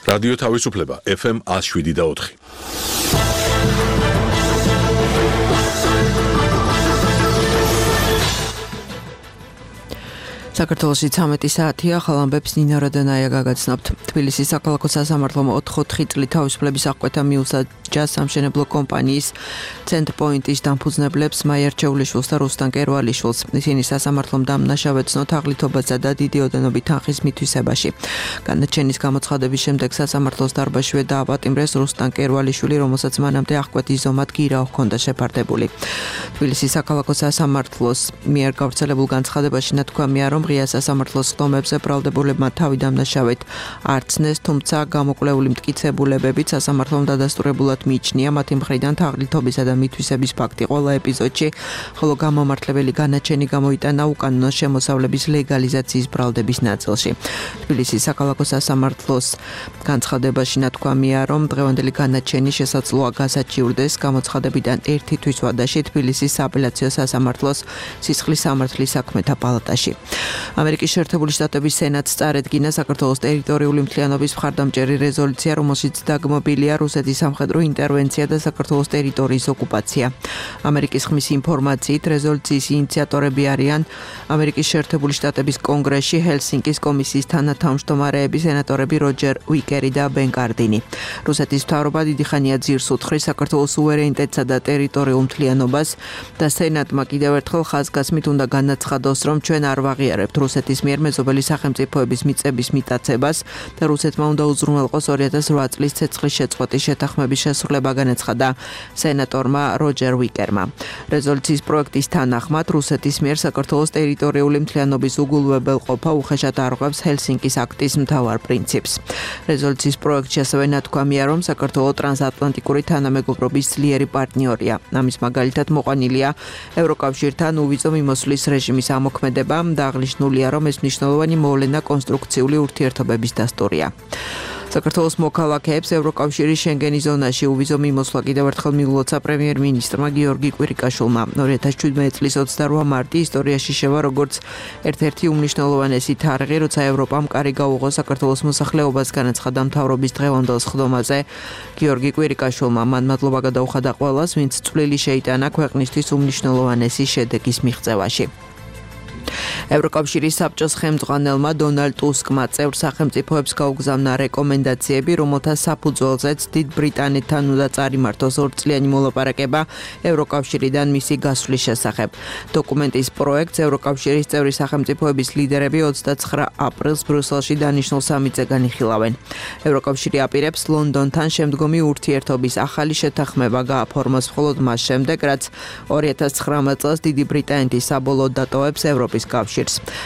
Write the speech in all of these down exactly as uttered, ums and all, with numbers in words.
რადიო თავისუფლება ეფ ემ one oh seven და four. საქართველოში ცამეტი საათია, ახალ ამბებს ნინო რადანაია გაგაცნობთ. თბილისის საქალაქო სასამართლომ ოთხ-ოთხი წლით თავისუფლების აღკვეთა მიუსაჯა სამშენებლო კომპანიის ცენტრპოინტის დამფუძნებლებს მაია რჩეულიშვილს და რუსტან კერვალიშვილს. ისინი სასამართლომ დამნაშავედ ცნოთ აღლითობასა და დიდი ოდენობით თანხის მითვისებაში. განაჩენის გამოცხადების შემდეგ სასამართლოს დარბაზშივე დააპატიმრეს რუსტან კერვალიშვილი, რომელსაც მანამდე აღკვეთის ზომად გირაო ჰქონდა შეფარდებული. თბილისის საქალაქო სასამართლოს მიერ გავრცელებულ განცხადებაში ნათქვამია, რომ ღია სასამართლოს ხდომებზე ბრალდებულებმა თავი დამნაშავედ არ ცნეს, თუმცა გამოკვლეული მტკიცებულებებით სასამართლომ დადასტურებულად მიიჩნია მათი მხრიდან თაღლითობისა და მითვისების ფაქტი ყველა ეპიზოდში, ხოლო გამომართლებელი განაჩენი გამოიტანა უკანონო შემოსავლების ლეგალიზაციის ბრალდების ნაწილში. თბილისის საქალაქო სასამართლოს განცხადებაში ნათქვამია, რომ დღევანდელი განაჩენი შესაძლოა გასაჩივრდეს გამოცხადებიდან ერთი თვის ვადაში თბილისის სააპელაციო სასამართლოს სისხლის სამართლის საქმეთა პალატაში. ამერიკის შეერთებული შტატების სენატს წარედგინა საქართველოს ტერიტორიული მთლიანობის მხარდამჭერი რეზოლუცია, რომელშიც დაგმობილია რუსეთის სამხედრო ინტერვენცია და საქართველოს ტერიტორიის ოკუპაცია. ამერიკის ხმის ინფორმაციით, რეზოლუციის ინიციატორები არიან ამერიკის შეერთებული შტატების კონგრესში ჰელსინკის კომისიის თანათავმჯდომარეები სენატორები როჯერ უიკერი და ბენ კარდინი. რუსეთის მთავრობა დიდი ხანია ძირს უთხრის საქართველოს სუვერენიტეტსა და ტერიტორიულ მთლიანობას და სენატმა კიდევ ერთხელ ხაზგასმით უნდა განაცხადოს, რომ ჩვენ არ ვაღიარებთ რუსეთის მიერ მეზობელი სახელმწიფოების მიწების მიტაცებას და რუსეთმა უნდა უზრუნველყოს ორი ათას ოთხ წლის ცეცხლის შეწყვეტის შეთანხმების შესრულება, განაცხადა სენატორმა როჯერ უიკერმა. რეზოლუციის პროექტის თანახმად რუსეთის მიერ საქართველოს ტერიტორიული მთლიანობის უგულვებელყოფა უხეშად არღვევს ჰელსინკის აქტის მთავარ პრინციპს. რეზოლუციის პროექტში ასევე ნათქვამია, რომ საქართველო ტრანსატლანტიკური თანამეგობრობის ძლიერი პარტნიორია. ამის მაგალითად მოყვანილია ევროკავშირთან უვიზო მიმოსვლის რეჟიმის ამოქმედება და აღნიშნულია, რომ ეს მნიშვნელოვანი მოვლენა კონსტრუქციული ურთიერთობების დასტურია. საქართველოს მოქალაქეებს ევროკავშირის შენგენის ზონაში უვიზო მიმოსვლა კიდევ ერთხელ მიულოცა პრემიერ-მინისტრმა გიორგი კვირიკაშვილმა. ორი ათას შვიდმეტი წლის ოცდაოთხ მარტი ისტორიაში შევა როგორც ერთ-ერთი უმნიშვნელოვანესი თარიღი, როცა ევროპამ კარი გაუღო საქართველოს მოსახლეობას, განაცხადა მთავრობის დღევანდელ სხდომაზე გიორგი კვირიკაშვილმა. მან მადლობა გადაუხადა ყველას, ვინც წვლილი შეიტანა ქვეყნისთვის უმნიშვნელოვანესი შედეგის მიღწევაში. ევროკავშირის საბჭოს ხელმძღვანელმა დონალდ ტუსკმა წევრ სახელმწიფოებს გაუგზავნა რეკომენდაციები, რომელთა საფუძველზეც დიდ ბრიტანეთთან უნდა წარიმართოს ორწლიანი მოლაპარაკება ევროკავშირიდან მისი გასვლის შესახებ. დოკუმენტის პროექტს ევროკავშირის წევრი სახელმწიფოების ლიდერები ოცდაცხრა აპრილს ბრიუსელში დანიშნულ სამიტზე განიხილავენ. ევროკავშირი აპირებს ლონდონთან შემდგომი ურთიერთობის ახალი შეთანხმება გააფორმოს მხოლოდ მას შემდეგ, რაც ორი ათას ცხრამეტ წელს დიდი ბრიტანეთის საბოლოოდ დატოვებს ევროპის კავშირს.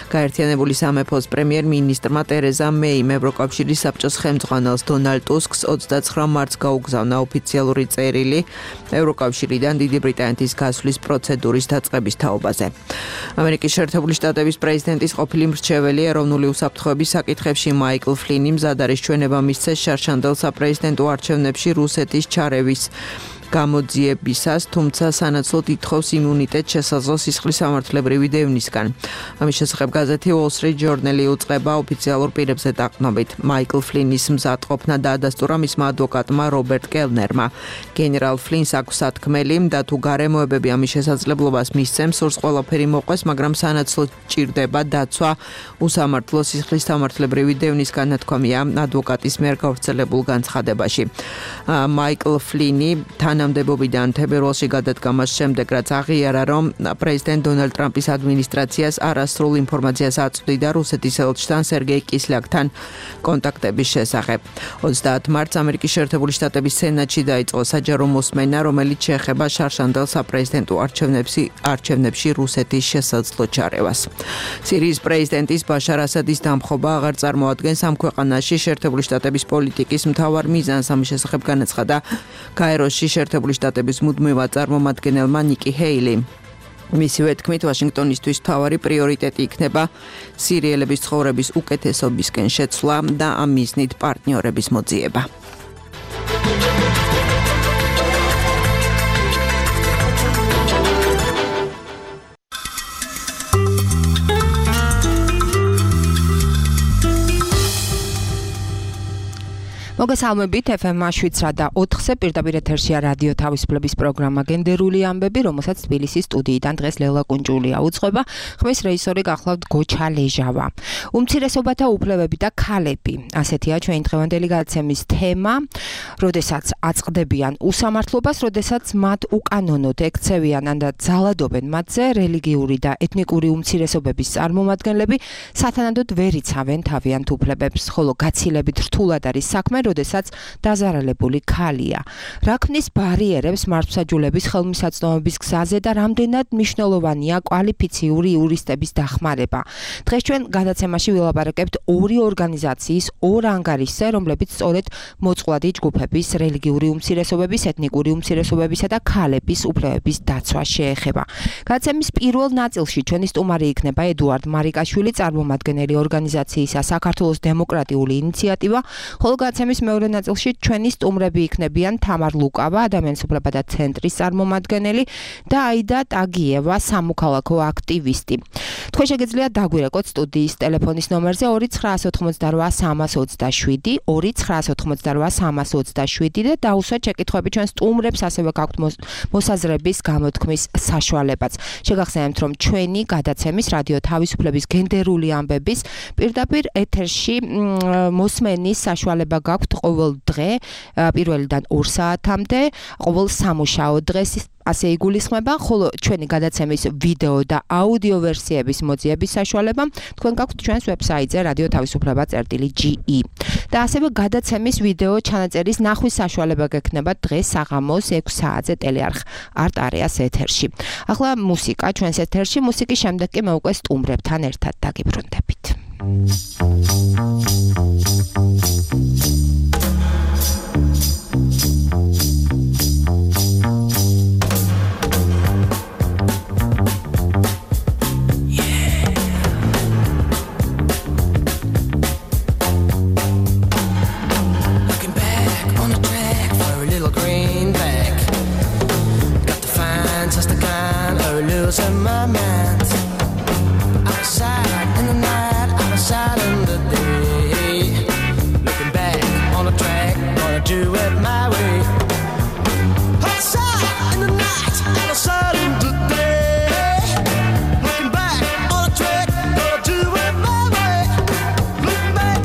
გაერთიანებული სამეფოს პრემიერ-მინისტრმა ტერეზა მეიმ ევროკავშირის საბჭოს ხელმძღვანელს დონალდ ტუსკს ოცდაცხრა მარტს გაუგზავნა ოფიციალური წერილი ევროკავშირიდან დიდი ბრიტანეთის გასვლის პროცედურის დაწყების თაობაზე. ამერიკის შეერთებული შტატების პრეზიდენტის ყოფილი მრჩეველი ეროვნული უსაფრთხოების საკითხებში მაიკლ ფლინი მზად არის ჩვენება მისცეს შარშანდელ საპრეზიდენტო არჩევნებში რუსეთის ჩარევის გამოძიებისას, თუმცა სანაცვლოდ ითხოვს იმუნიტეტს შესაძლო სისხლის სამართლებრივი დევნისგან. ამის შესახებ გაზეთი Wall Street Journal უწყება ოფიციალურ პირებზე დაყრდნობით. მაიკლ ფლინის მზადყოფნა დაადასტურა მისმა ადვოკატმა რობერტ კელნერმა. გენერალ ფლინს აქვს სათქმელი და თუ გარემოებები ამის შესაძლებლობას მისცემს, სურს ყველაფერი მოყვეს, მაგრამ სანაცვლოდ ჭირდება დაცვა უსამართლო სისხლის სამართლებრივი დევნისგან, ნათქვამია ადვოკატის მიერ გავრცელებულ განცხადებაში. მაიკლ ფლინი თანამდებობიდან თებერვალში გადადგა მას შემდეგ, რაც აღიარა, რომ პრეზიდენტ დონალდ ტრამპის ადმინისტრაციას არასრულ ინფორმაციას აწვდიდა რუსეთის ელჩთან სერგეი კისლიაკთან კონტაქტების შესახებ. ოცდაათი მარტს ამერიკის შეერთებული შტატების სენატში დაიწყო საჯარო მოსმენა, რომელიც შეეხება შარშანდელ საპრეზიდენტო არჩევნებში რუსეთის შესაძლო ჩარევას. სირიის პრეზიდენტის ბაშარ ასადის დამხობა აღარ წარმოადგენს ამ ქვეყანაში შეერთებული შტატების პოლიტიკის მთავარ მიზანს. ამის შესახებ განაცხადა კაიროში შეერთებული შტატების მუდმივად წარმომადგენელმა ნიკი ჰეილი. მისივე თქმით, ვაშინგტონისთვის მთავარი პრიორიტეტი იქნება სირიელების ცხოვრების უკეთესობისკენ შეცვლა და ამ მიზნით პარტნიორების მოძიება. მოგესალმებით ეფ ემ შვიდ და ოთხზე პირდაპირ ეთერშია რადიო თავისუფლების პროგრამა გენდერული ამბები, რომელსაც თბილისის სტუდიიდან დღეს ლელა კუნჯულია უძღვება. ხმის რეჟისორი გახლავთ გოჩა ლეჟავა. უმცირესობათა უფლებები და ქალები. ასეთია ჩვენი დღევანდელი გადაცემის თემა, როდესაც აწყდებიან უსამართლობას, როდესაც მათ უკანონოდ ექცევიან ან ძალადობენ მათზე რელიგიური და ეთნიკური უმცირესობების წარმომადგენლები, სათანადოდ ვერ იცავენ თავიანთ უფლებებს, ხოლო გაცილებით რთულად არის საქმე, როდესაც დაზარალებული ქალია. რა ქმნის ბარიერებს მართლმსაჯულების ხელმისაწვდომების გზაზე და რამდენად მნიშვნელოვანია კვალიფიციური იურისტების დახმარება. დღეს ჩვენ გადაცემაში ვილაპარაკებთ ორი ორგანიზაციის ორ ანგარიშზე, რომლებიც სწორედ მოწყვლადი ჯგუფების, რელიგიური უმცირესობების, ეთნიკური უმცირესობებისა და ქალების უფლებების დაცვას შეეხება. გადაცემის პირველ ნაწილში ჩვენი სტუმარი იქნება ედუარდ მარიკაშვილი, წარმომადგენელი ორგანიზაციისა საქართველოს დემოკრატიული ინიციატივა, ხოლო გადაცემის მეორე ნაწილში ჩვენი სტუმრები იქნებიან თამარ ლუკავა, ადამიანის უფლებათა ცენტრის წარმომადგენელი და აიდა ტაგიევა, სამოქალაქო აქტივისტი. თქვენ შეგიძლიათ დაგვირეკოთ სტუდიის ტელეფონის ნომერზე ორი ცხრაას ოთხმოცდარვა სამას ოცდაშვიდი, ორი ცხრაას ოთხმოცდარვა სამას ოცდაშვიდი და დაუსვათ შეკითხვები ჩვენ სტუმრებს, ასევე გაქვთ მოსაზრების გამოთქმის საშუალებაც. შეგახსენებთ, რომ ჩვენი გადაცემის რადიო თავისუფლების გენდერული ამბების პირდაპირ ეთერში მოსმენის საშუალება გაქვთ ყოველ დღე პირველიდან ორ საათამდე, ყოველ სამუშაო დღეს ასე იგულისხმება, ხოლო ჩვენი გადაცემის ვიდეო და აუდიო ვერსიების მოძიების საშუალება თქვენ გაქვთ ჩვენს ვებსაიტზე რადიო თავისუფლება წერტილი ჯი ი. და ასევე გადაცემის ვიდეო ჩანაწერის ნახვის საშუალება გექნება დღეს საღამოს ექვს საათზე ტელეარხ არტ არეას ეთერში. ახლა მუსიკა ჩვენს ეთერში, მუსიკის შემდეგ კი მე უკვე სტუმრებთან ერთად დაგიბრუნდებით. In my mind, outside in the night, outside in the day. Looking back on the track, gonna do it my way. Outside in the night, outside in the day. Looking back on the track, gonna do it my way. Looking back.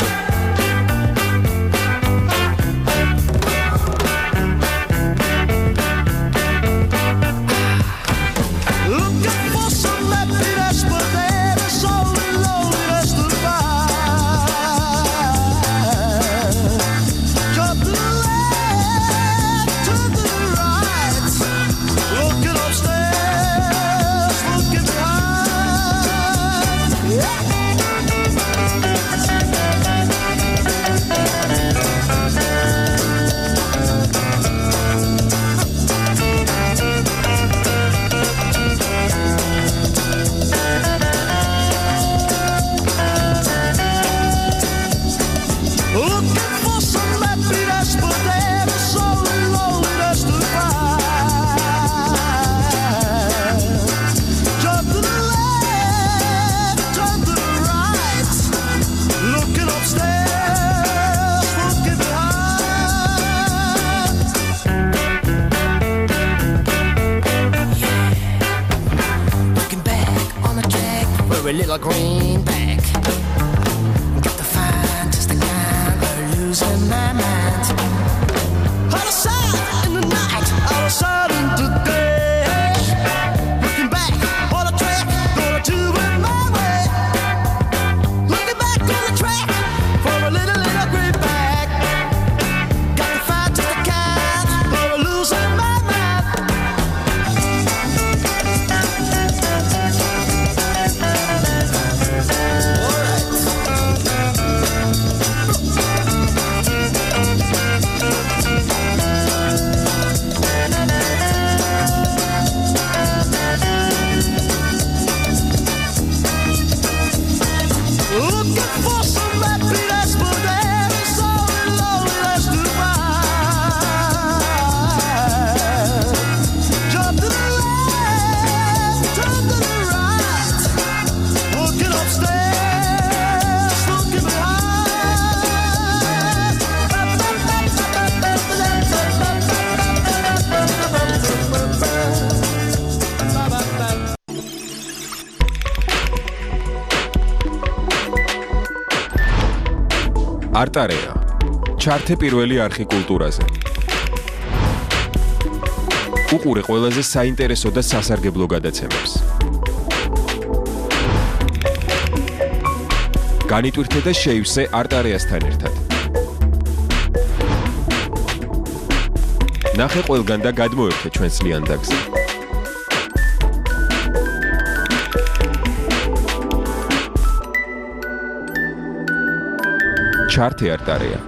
Looking for some happiness, but there is only loneliness to find. Cut the left, turn to the right. Looking upstairs, looking behind. Yeah. Looking for some happiness, but there is only loneliness to find. Turn to the left, turn to the right. Looking upstairs, looking behind. Looking back on the track, we're a little greenback. Got to find just the kind of losing my mind. Out of sight in the night, out of sight in the day. Looking back on the track, gonna do it my way. Looking back on the track for a little, little greenback. Got to find just the kind of losing my mind. არტარეა. ჩართე პირველი არხი კულტურაზე. უყურე ყველაზე საინტერესო და სასარგებლო გადაცემებს. განიტვირთე და შეივსე არტარეასთან ერთად. ნახე ყველგან და გადმოერთე ჩვენს ლიანდაგზე. ჩართე არტარეა.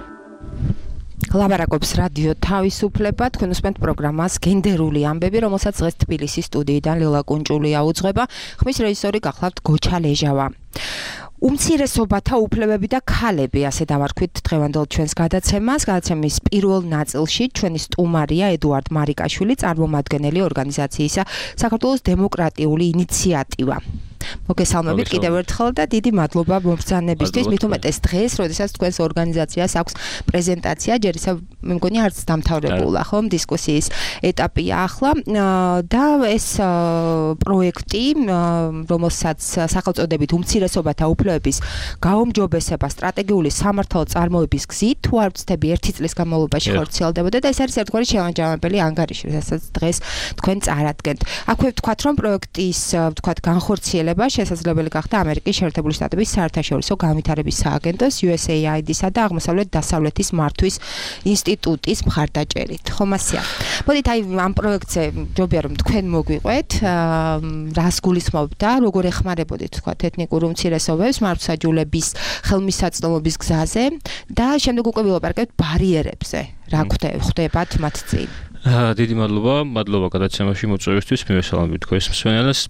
ლაბარაკობს რადიო თავისუფლება, თქვენ უსმენთ პროგრამას გენდერული ამბები, რომელსაც დღეს თბილისის სტუდიიდან ლელა კუნჭულია უძღვება, ხმის რეჟისორი გახლავთ გოჩა ლეჟავა. უმცირესობათა უფლებები და ქალები, ასე დავარქვით დღევანდელ ჩვენს გადაცემას. გადაცემის პირველ ნაწილში ჩვენი სტუმარია ედუარდ მარიკაშვილი, წარმომადგენელი ორგანიზაციისა საქართველოს დემოკრატიული ინიციატივა. მოგესალმებით კიდევ ერთხელ და დიდი მადლობა მომბრძანებისთვის. მით უმეტეს დღეს, როდესაც თქვენს ორგანიზაციას აქვს პრეზენტაცია, ჯერ ისევ მე მგონი არც დამთავრებულა, ხომ, დისკუსიის ეტაპია ახლა და ეს პროექტი, რომელსაც სახელწოდებით უმცირესობათა უფლებების გაუმჯობესება სტრატეგიული სამართალ წარმოების გზით, თუ არ ვცდები ერთი წლის განმავლობაში ხორციელდებოდა და ეს არის ერთგვარი შემაჯამებელი ანგარიში, რასაც დღეს თქვენ წარადგენთ. აქვე ვთქვათ, რომ პროექტის ვთქვათ განხორციელება შესაძლებელი გახდა ამერიკის შეერთებული შტატების საერთაშორისო განვითარების სააგენტოს იუ ეს ეი აი დი-სა და აღმოსავლეთ-დასავლეთის მართვის ინსტიტუტის მხარდაჭერით. ხომასია. მოდით აი ამ პროექტზე ჯობია რომ თქვენ მოგვიყვეთ, რას გულისხმობთ და როგორ ეხმარებოდით თქვათ ეთნიკურ უმცირესობებს მართლმსაჯულების ხელმისაწვდომობის გზაზე და შემდეგ უკვე ვილაპარაკებთ ბარიერებზე. რა ხდებათ მათ წინ? დიდი მადლობა, მადლობა გადაცემაში მოწვევისთვის, მივესალმებით თქვენს მსმენელს.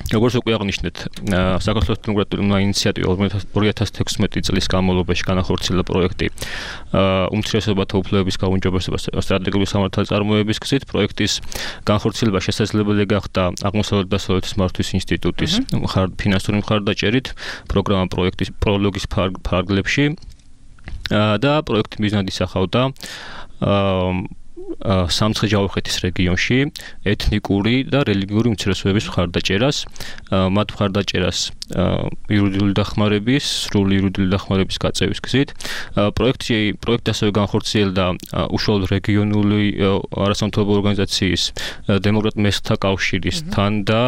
როგორც უკვე აღნიშნეთ, საქართველოს დემოკრატიული ინიციატივა ორი ათას თექვსმეტი წლის განმავლობაში განახორციელა პროექტი უმცირესობათა უფლებების გაუმჯობესება სტრატეგიული სამართალი წარმოების გზით. პროექტის განხორციელება შესაძლებელი გახდა აღმოსავლეთ-დასავლეთის მართვის ინსტიტუტის ფინანსური მხარდაჭერით, პროგრამა პროექტის პროლოგის ფარგლებში და პროექტი მიზნად ისახავდა სამცხე-ჯავახეთის რეგიონში ეთნიკური და რელიგიური უმცირესობების მხარდაჭერას, მათ მხარდაჭერას იურიდიული დახმარების, სრული იურიდიული დახმარების გაწევის გზით. პროექტი პროექტი ასევე განხორციელდა უშუალოდ რეგიონული არასამთავრობო ორგანიზაციის დემოკრატ მესხთა კავშირისთან და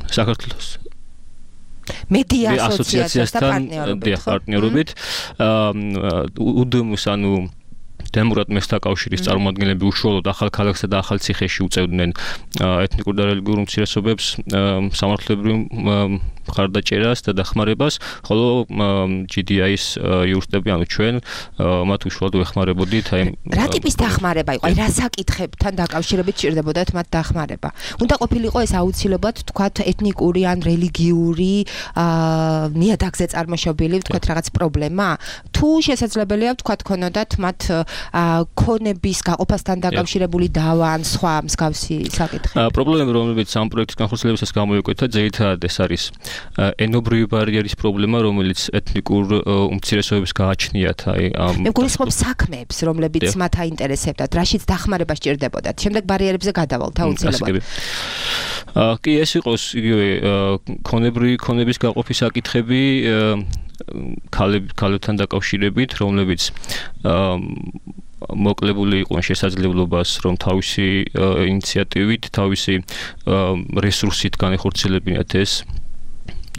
საქართველოს მედია ასოციაციასთან პარტნიორობით. უდმ-ს ანუ დემოკრატ მესხთა კავშირის წარმომადგენლები უშუალოდ ახალ ქალაქსა და ახალ ციხეში უწევდნენ ეთნიკურ და რელიგიურ უმცირესობებს სამართლებრივ მხარდაჭერას და დახმარებას, ხოლო ჯი დი აის იურისტები, ანუ ჩვენ მათ უშუალოდ ვეხმარებოდით. აი რა ტიპის დახმარება იყო? აი რა საკითხებთან დაკავშირებით ჭირდებოდათ მათ დახმარება? უნდა ყოფილიყო ეს აუცილებლად თქვათ ეთნიკური ან რელიგიური ნიადაგზე წარმოშობილი თქვათ რაღაც პრობლემა? თუ შესაძლებელია თქვათ ქონოდათ მათ ქონების გაყოფასთან დაკავშირებული დავა ან სხვა მსგავსი საკითხი? პრობლემები, რომლებიც ამ პროექტის განხორციელებისას გამოიკვეთა, ძირითადად ეს არის ენობრივი ბარიერის პრობლემა, რომელიც ეთნიკურ უმცირესობებს გააჩნიათ. აი მე გულისხმობ საქმეებს, რომლებიც მათ აინტერესებდათ, რაშიც დახმარება სჭირდებოდათ. შემდეგ ბარიერებზე გადავალთ აუცილებლად. კი, ეს იყოს იგივე ქონებრივი ქონების გაყოფის საკითხები, ქალებთან დაკავშირებით, რომლებიც მოკლებული იყვნენ შესაძლებლობას, რომ თავისი ინიციატივით, თავისი რესურსით განეხორციელებინათ ეს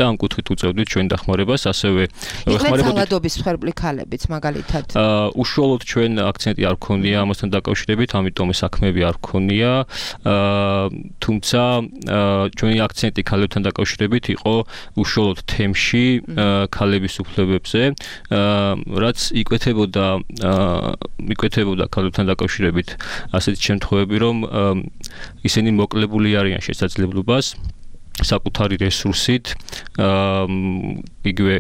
და ამ კუთხით უწევდით ჩვენ დახმარებას, ასევე ვეხმარებოდით ძალადობის მსხვერპლი ქალებიც მაგალითად. უშუალოდ ჩვენ აქცენტი არ გქონია ამასთან დაკავშირებით, ამიტომ საქმეები არ გქონია, თუმცა ჩვენი აქცენტი ქალებთან დაკავშირებით იყო უშუალოდ თემში ქალების უფლებებზე, რაც იკვეთებოდა იკვეთებოდა ქალებთან დაკავშირებით ასეთი შემთხვევები, რომ ისინი მოკლებული არიან შესაძლებლობას საკუთარი რესურსით იგივე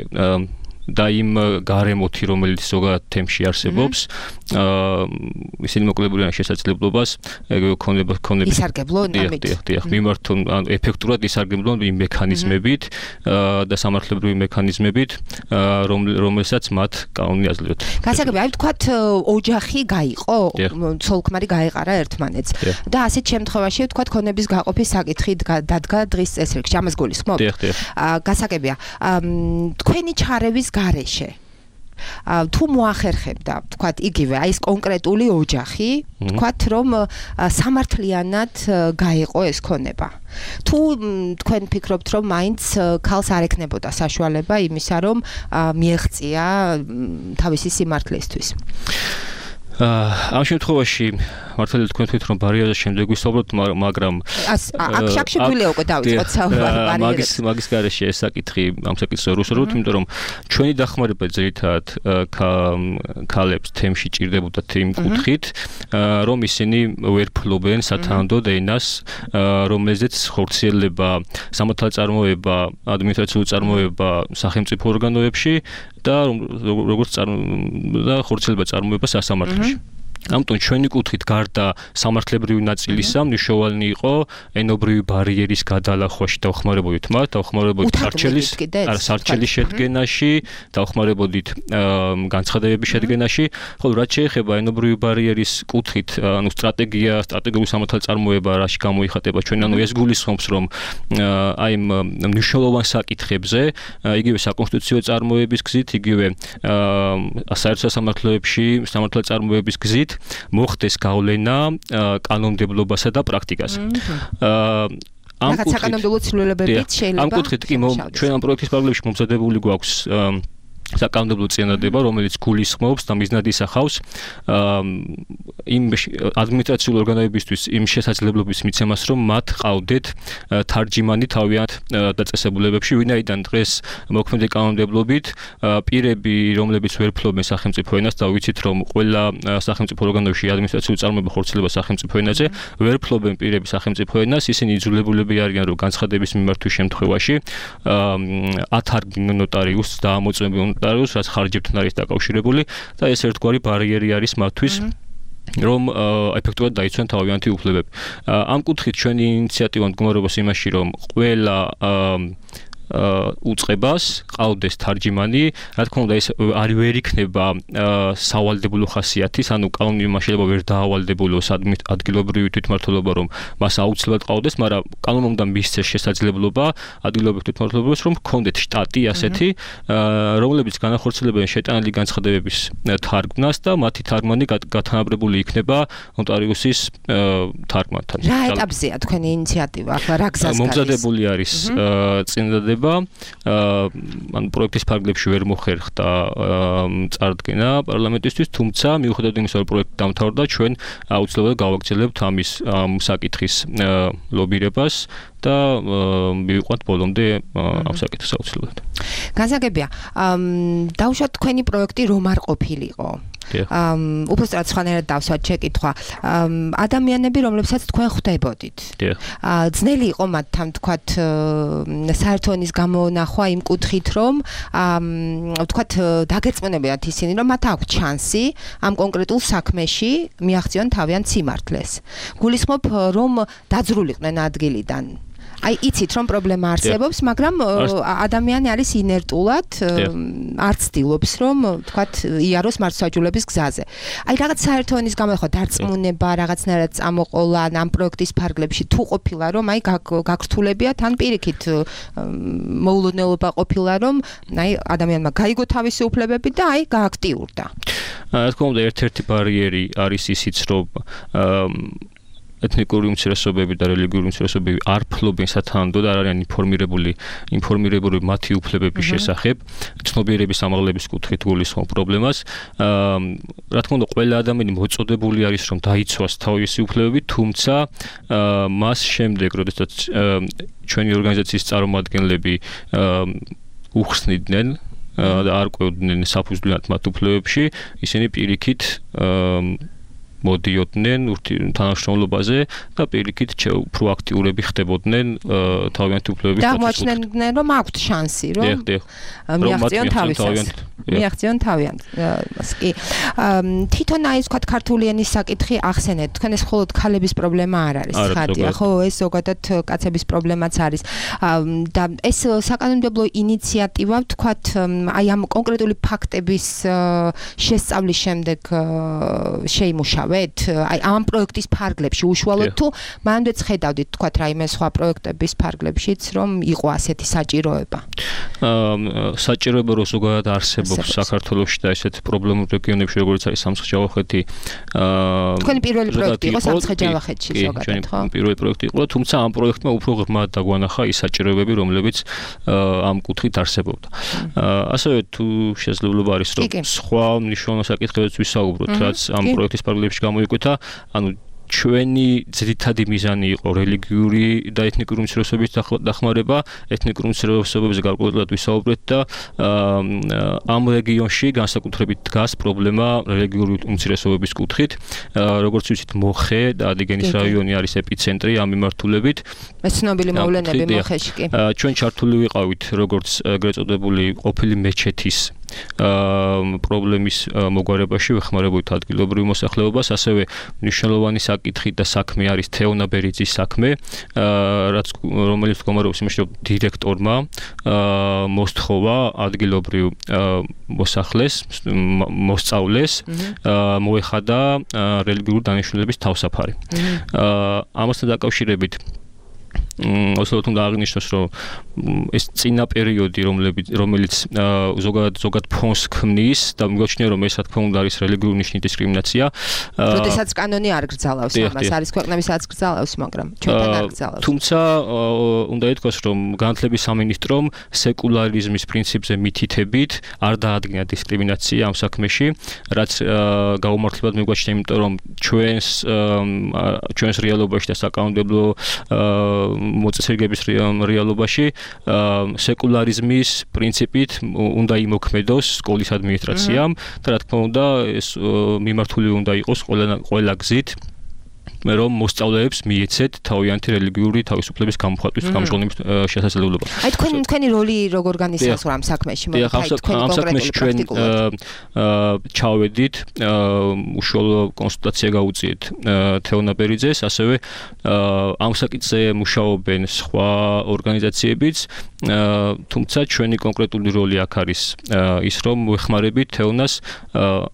და იმ გარემოთი, რომელიც ზოგადად თემში არსებობს, ისინი მოკლებული არიან შესაძლებლობას ქონება ქონების ისარგებლონ ამით. დიახ, დიახ, მიმართონ ან ეფექტურად ისარგებლონ იმ მექანიზმებით და სამართლებრივი მექანიზმებით, რომელსაც მათ კანონი აძლევთ. გასაგები, აი ვთქვათ, ოჯახი გაიყო, ცოლ-ქმარი გაეყარა ერთმანეთს და ასეთ შემთხვევაში ვთქვათ, ქონების გაყოფის საკითხი დადგა დღის წესრიგში, ამას გულისხმობთ? დიახ, დიახ. გასაგებია, თქვენი ჩარევის გარეშე თუ მოახერხებდა, თქვათ, იგივე, აი ეს კონკრეტული ოჯახი, თქვათ, რომ სამართლიანად გაიყო ეს ქონება. თუ თქვენ ფიქრობთ, რომ მაინც ქალს არ ექნებოდა საშუალება იმისა, რომ მიეღწია თავისი სიმართლისთვის. ამ შემთხვევაში მართალია თქვენ თქვით რომ ბარიერაზე შემდეგ ვისაუბროთ, მაგრამ აქ შეგვიძლია უკვე დავიწყოთ საუბარი ბარიერებზე. მაგის მაგის გარეშე ეს საკითხი ამ საკითხს ვუსაუბრობთ, იმიტომ რომ ჩვენი დახმარება ძირითადად ქალებს თემში ჭირდებოდათ იმ კუთხით, რომ ისინი ვერ ფლობენ სათანადოდ ენას, რომელზეც ხორციელდება სამართალწარმოება, ადმინისტრაციული წარმოება სახელმწიფო ორგანოებში და როგორც და ხორციელდება წარმოება სასამართლოში. ამიტომ ჩვენი კუთხით გარდა სამართლებრივი ნაწილისა მნიშვნელოვანი იყო ენობრივი ბარიერის გადალახვაში დავხმარებოდით მათ, დავხმარებოდით სარჩელის, არა სარჩელის შედგენაში, დავხმარებოდით განცხადებების შედგენაში, ხოლო რაც შეეხება ენობრივი ბარიერის კუთხით, ანუ სტრატეგია, სტრატეგიული სამართალწარმოება, რაში გამოიხატება ჩვენ, ანუ ეს გულისხმობს, რომ აი ამ მნიშვნელოვან საკითხებზე, იგივე საკონსტიტუციო წარმოების გზით, იგივე საერთო სასამართლოებში სამართალწარმოების გზით მოხდეს გავლენა კანონმდებლობასა და პრაქტიკაზე. ამ კუთხით საკანონმდებლო ცვლილებებით შეიძლება ამ კუთხით კი ჩვენ ამ პროექტის პარალელში მომზადებული გვაქვს საკანონმდებლო წინადადება, რომელიც გულისხმობს და მიზნად ისახავს იმ ადმინისტრაციული ორგანოებისთვის იმ შესაძლებლობის მიცემას, რომ მათ ყავდეთ თარჯიმანი თავიანთ დაწესებულებებში, ვინაიდან დღეს მოქმედი კანონმდებლობით პირები, რომლებიც ვერ ფლობენ სახელმწიფო ენას და ვიცით, რომ ყველა სახელმწიფო ორგანოში ადმინისტრაციული წარმოება ხორციელდება სახელმწიფო ენაზე, ვერ ფლობენ პირები სახელმწიფო ენას, ისინი იძულებულები არიან, რომ განცხადების მიმართვის შემთხვევაში ათარგმნონ ნოტარიუსს და ამოწმებენ ნოტარიუსს, რაც ხარჯებთან არის დაკავშირებული და ეს ერთგვარი ბარიერი არის მათთვის, რომ ეფექტურად დაიცვან თავიანთი უფლებები. ამ კუთხით ჩვენი ინიციატივა მდგომარეობს იმაში, რომ ყველა უწყებას ყავდეს თარჯიმანი, რა თქმა უნდა ეს არ ვერ იქნება სავალდებულო ხასიათის, ანუ კანონმა შეიძლება ვერ დაავალდებულოს ადგილობრივი თვითმმართველობა, რომ მას აუცილებლად ყავდეს, მაგრამ კანონმა უნდა მისცეს შესაძლებლობა ადგილობრივ თვითმმართველობას, რომ ჰქონდეთ შტატი ასეთი, რომლებიც განახორციელებენ შეტანილი განცხადებების თარგმნას და მათი თარგმანი გათანაბრებული იქნება ნოტარიუსის თარგმანთან. რა ეტაპზეა თქვენი ინიციატივა? ახლა რა გზას გადის? მომზადებული არის წინადადება, ან პროექტის ფარგლებში ვერ მოხერხდა წარდგენა პარლამენტისთვის, თუმცა მიუხედავად იმისა, რომ პროექტი დამთავრდა, ჩვენ აუცილებლად გავაგრძელებთ ამის საკითხის ლობირებას და მივიყვანთ ბოლომდე ამ საკითხს აუცილებლად. განსაგებია, დავუშვათ თქვენი პროექტი რომ არ ყოფილიყო. უბრალოდ სხვანაირად დავსვათ შეკითხვა. ადამიანები, რომლებსაც თქვენ ხვდებოდით. ძნელი იყო მათთან თქვათ საერთო ენის გამონახვა იმ კუთხით, რომ თქვათ დაგერწმუნებათ ისინი, რომ მათ აქვს შანსი ამ კონკრეტულ საქმეში მიაღწიონ თავიანთ სიმართლეს. გულისხმობ, რომ დაძრულიყვნენ ადგილიდან. აი იცით რომ პრობლემა არსებობს, მაგრამ ადამიანი არის ინერტულად, არ ცდილობს რომ თქვათ იაროს მართლმსაჯულების გზაზე. აი რაღაც საერთო ენის გამონახვა, დარწმუნება, რაღაცნაირად წამოყოლა ამ პროექტის ფარგლებში თუ ყოფილა, რომ აი გაგრთულებიათ, ან პირიქით მოულოდნელობა ყოფილა, რომ აი ადამიანმა გაიგო თავისი უფლებები და აი გააქტიურდა. რა თქმა უნდა, ერთ-ერთი ბარიერი არის ისიც, რომ ეთნიკური უმცირესობები და რელიგიური უმცირესობები არ ფლობენ სათანადოდ, არ არიან ინფორმირებული, ინფორმირებული მათი უფლებების შესახებ, ცნობიერების ამაღლების კუთხით გულისხმობ პრობლემას. რა თქმა უნდა, ყველა ადამიანი მოწოდებული არის, რომ დაიცვას თავისი უფლებები, თუმცა მას შემდეგ, როდესაც ჩვენი ორგანიზაციის წარმომადგენლები უხსნიდნენ და არ ყვევდნენ საფუძვლიანად მათ უფლებებში, ისინი პირიქით მოდიოდნენ თანამშრომლობაზე და პირიქით პროაქტიურები ხდებოდნენ თავიანთი უფლებების პროცესში. აღმოჩნდნენ, რომ აქვთ შანსი, რომ მიაღწიონ თავისას. მიაღწიონ თავიანთ. კი. თვითონ აი თქვა ქართული ენის საკითხი ახსენეთ. თქვენ ეს მხოლოდ ქალების პრობლემა არ არის, ხადია, ხო, ეს ზოგადად კაცების პრობლემაც არის. და ეს საკანონმდებლო ინიციატივა თქვა აი ამ კონკრეტული ფაქტების შესწავლის შემდეგ შეიმუშავა. იმუშავეთ? აი ამ პროექტის ფარგლებში უშუალოდ თუ მანდეც ხედავდით თქვა რაიმე სხვა პროექტების ფარგლებშიც რომ იყო ასეთი საჭიროება? აა საჭიროება რო ზოგადად არსებობს საქართველოში და ესეთ პრობლემურ რეგიონებში როგორც არის სამცხე-ჯავახეთი აა თქვენი პირველი პროექტი იყო სამცხე-ჯავახეთში ზოგადად ხო? პირველი პროექტი იყო, თუმცა ამ პროექტმა უფრო ღრმად დაგვანახა ის საჭიროებები, რომლებიც ამ კუთხით არსებობდა. ასევე თუ შესაძლებლობა არის რომ სხვა მნიშვნელოვან საკითხებიც ვისაუბროთ, რაც ამ პროექტის პარალელებში გამოიკვეთა, ანუ ჩვენი ძირითადი მიზანი იყო რელიგიური და ეთნიკური უმცირესობების დახმარება, ეთნიკური უმცირესობებზე გარკვეულად ვისაუბრეთ და ამ რეგიონში განსაკუთრებით დგას პრობლემა რელიგიური უმცირესობების კუთხით. როგორც ვიცით, მოხე და ადიგენის რაიონი არის ეპიცენტრი ამ მიმართულებით. ეს ცნობილი მოვლენები მოხეში კი. ჩვენ ჩართული ვიყავით როგორც ეგრეთ წოდებული ყოფილი მეჩეთის აა პრობლემის მოგვარებაში ვეხმარებოდით ადგილობრივ მოსახლეობას, ასევე მნიშვნელოვანი საკითხი და საქმე არის თეონა ბერიძის საქმე, აა რაც რომელიც მდგომარეობს იმაში, რომ დირექტორმა აა მოსთხოვა ადგილობრივ მოსახლეს, მოსწავლეს, აა მოეხადა რელიგიური დანიშნულების თავსაფარი. აა ამასთან დაკავშირებით ოსლოთ უნდა აღნიშნოს, რომ ეს წინა პერიოდი, რომელიც ზოგადად ზოგად ფონს ქმნის და მიგოჩნია, რომ ეს რა თქმა უნდა არის რელიგიური ნიშნის დისკრიმინაცია. როდესაც კანონი არ გრძალავს ამას, არის ქვეყნები სადაც გრძალავს, მაგრამ ჩვენთან არ გრძალავს. თუმცა უნდა ითქვას, რომ განათლების სამინისტრომ სეკულარიზმის პრინციპზე მითითებით არ დაადგინა დისკრიმინაცია ამ საქმეში, რაც გაუმართლებლად მიგვაჩნია, იმიტომ რომ ჩვენს ჩვენს რეალობაში და საკანონმდებლო მოწესრიგების რეალობაში სეკულარიზმის პრინციპით უნდა იმოქმედოს სკოლის ადმინისტრაციამ და რა თქმა უნდა ეს მიმართული უნდა იყოს ყველა ყველა გზით რომ მოსწავლეებს მიეცეთ თავიანთი რელიგიური თავისუფლების გამოხატვის გამჟღავნების შესაძლებლობა. აი თქვენ თქვენი როლი როგორ განისაზღვრა ამ საქმეში? ამ საქმეში ჩვენ ჩავედით, უშუალო კონსულტაცია გაუწიეთ თეონა ბერიძეს, ასევე ამ საკითხზე მუშაობენ სხვა ორგანიზაციებიც, თუმცა ჩვენი კონკრეტული როლი აქ არის ის, რომ ვეხმარებით თეონას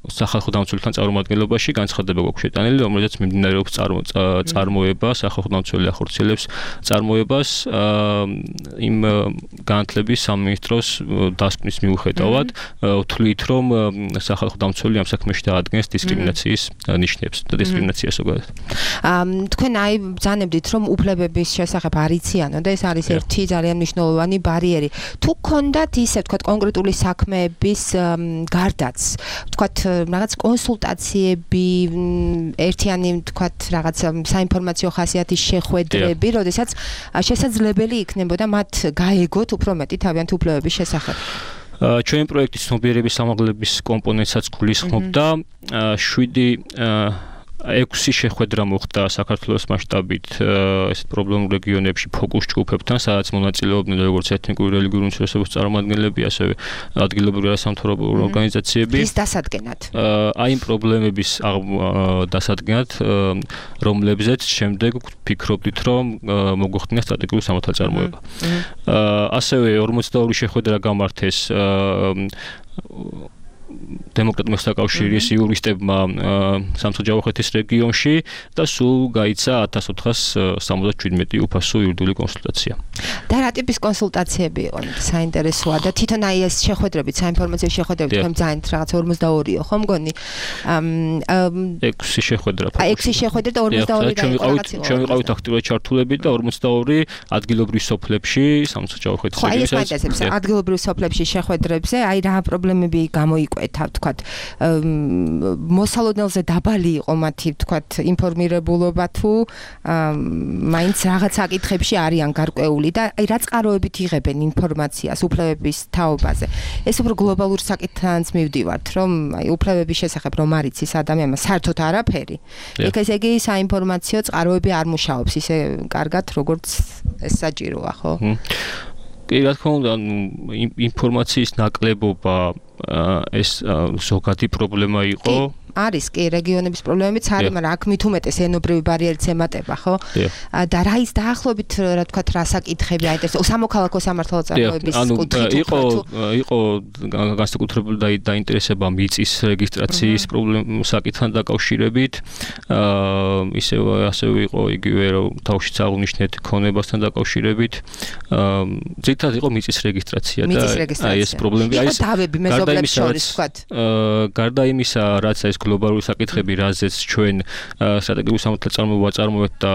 სახალხო დამცველთან წარმომადგენლობაში, განცხადება გვაქვს შეტანილი, რომელზეც მიმდინარეობს წარმოება, სახალხო დამცველი ახორციელებს წარმოებას იმ განათლების სამინისტროს დასკვნის მიუხედავად, თვლით, რომ სახალხო დამცველი ამ საქმეში დაადგენს დისკრიმინაციის ნიშნებს და დისკრიმინაციას ზოგადად. თქვენ აი ბრძანებდით, რომ უფლებების შესახებ არ იციანო და ეს არის ერთი ძალიან მნიშვნელოვანი ბარიერი. თუ გქონდათ ისე თქვა კონკრეტული საქმეების გარდაც, თქვა რაღაც კონსულტაციები, ერთიანი თქვა რაღაც საინფორმაციო ხასიათის შეხვედრები, როდესაც შესაძლებელი იქნებოდა მათ გაეგოთ უფრო მეტი თავიანთი უფლებების შესახებ. ჩვენი პროექტის ცნობიერების სამაღლების კომპონენტსაც გულისხმობდა შვიდი ექვსი შეხვედრა მოხდა საქართველოს მასშტაბით ესეთ პრობლემურ რეგიონებში ფოკუს ჯგუფებთან, სადაც მონაწილეობდნენ როგორც ეთნიკური რელიგიური უმცირესობების წარმომადგენლები, ასევე ადგილობრივი არასამთავრობო ორგანიზაციები. ის დასადგენად. აი იმ პრობლემების დასადგენად, რომლებზეც შემდეგ ვფიქრობდით, რომ მოგვხდინა სტრატეგიული სამართალწარმოება. ასევე ორმოცდაორი შეხვედრა გამართეს დემოკრატიის საკავშირის იურისტებმა სამცხე-ჯავახეთის რეგიონში და სულ გაიცა ათას ოთხას სამოცდაშვიდმეტი უფასო იურიდიული კონსულტაცია. და რა ტიპის კონსულტაციები იყო? საინტერესოა და თვითონ აი ეს შეხვედრები, საინფორმაციო შეხვედრები თქვენ ძალიან რაღაც ორმოცდაორიო ხო მგონი? ექვსი შეხვედრა. აი ექვსი შეხვედრა და ორმოცდაორი რაღაც იყო. ჩვენ ვიყავით აქტიურად ჩართულები და ორმოცდაორი ადგილობრივ სოფლებში სამცხე-ჯავახეთის რეგიონში. ხო, აი ეს მაინტერესებს ადგილობრივ სოფლებში შეხვედრებზე, აი რა პრობლემები გამოიკვეთა, ვთქვათ, მოსალოდნელზე დაბალი იყო მათი, ვთქვათ, ინფორმირებულობა თუ მაინც რაღაც საკითხებში არიან გარკვეული და აი რა წყაროებით იღებენ ინფორმაციას უფლებების თაობაზე. ეს უფრო გლობალურ საკითხთანაც მივდივართ, რომ აი უფლებების შესახებ რომ არ იცის ადამიანმა საერთოდ არაფერი. იქ ესე იგი საინფორმაციო წყაროები არ მუშაობს ისე კარგად, როგორც ეს საჭიროა, ხო? კი, რა თქმა უნდა, ინფორმაციის ნაკლებობა ეს ზოგადი პრობლემა იყო არის კი რეგიონების პრობლემებიც არის, მაგრამ აქ მით უმეტეს ენობრივი ბარიერიც ემატება, ხო? და რა ის დაახლოებით რა თქვა რა საკითხები აინტერესებს სამოქალაქო სამართალო წარმოების კუთხით იყო იყო განსაკუთრებული დაინტერესება მიწის რეგისტრაციის პრობლემ საკითხთან დაკავშირებით. აა ისევ ასევე იყო იგივე რომ თავშიც აღნიშნეთ ქონებასთან დაკავშირებით. აა ძირითადად იყო მიწის რეგისტრაცია და აი ეს პრობლემები აი ეს დავები მეზობლებს შორის ვთქვათ. აა გარდა იმისა, რაც ეს გლობალური საკითხები, რაზეც ჩვენ სტრატეგიული სამართლის წარმოება წარმოებთ და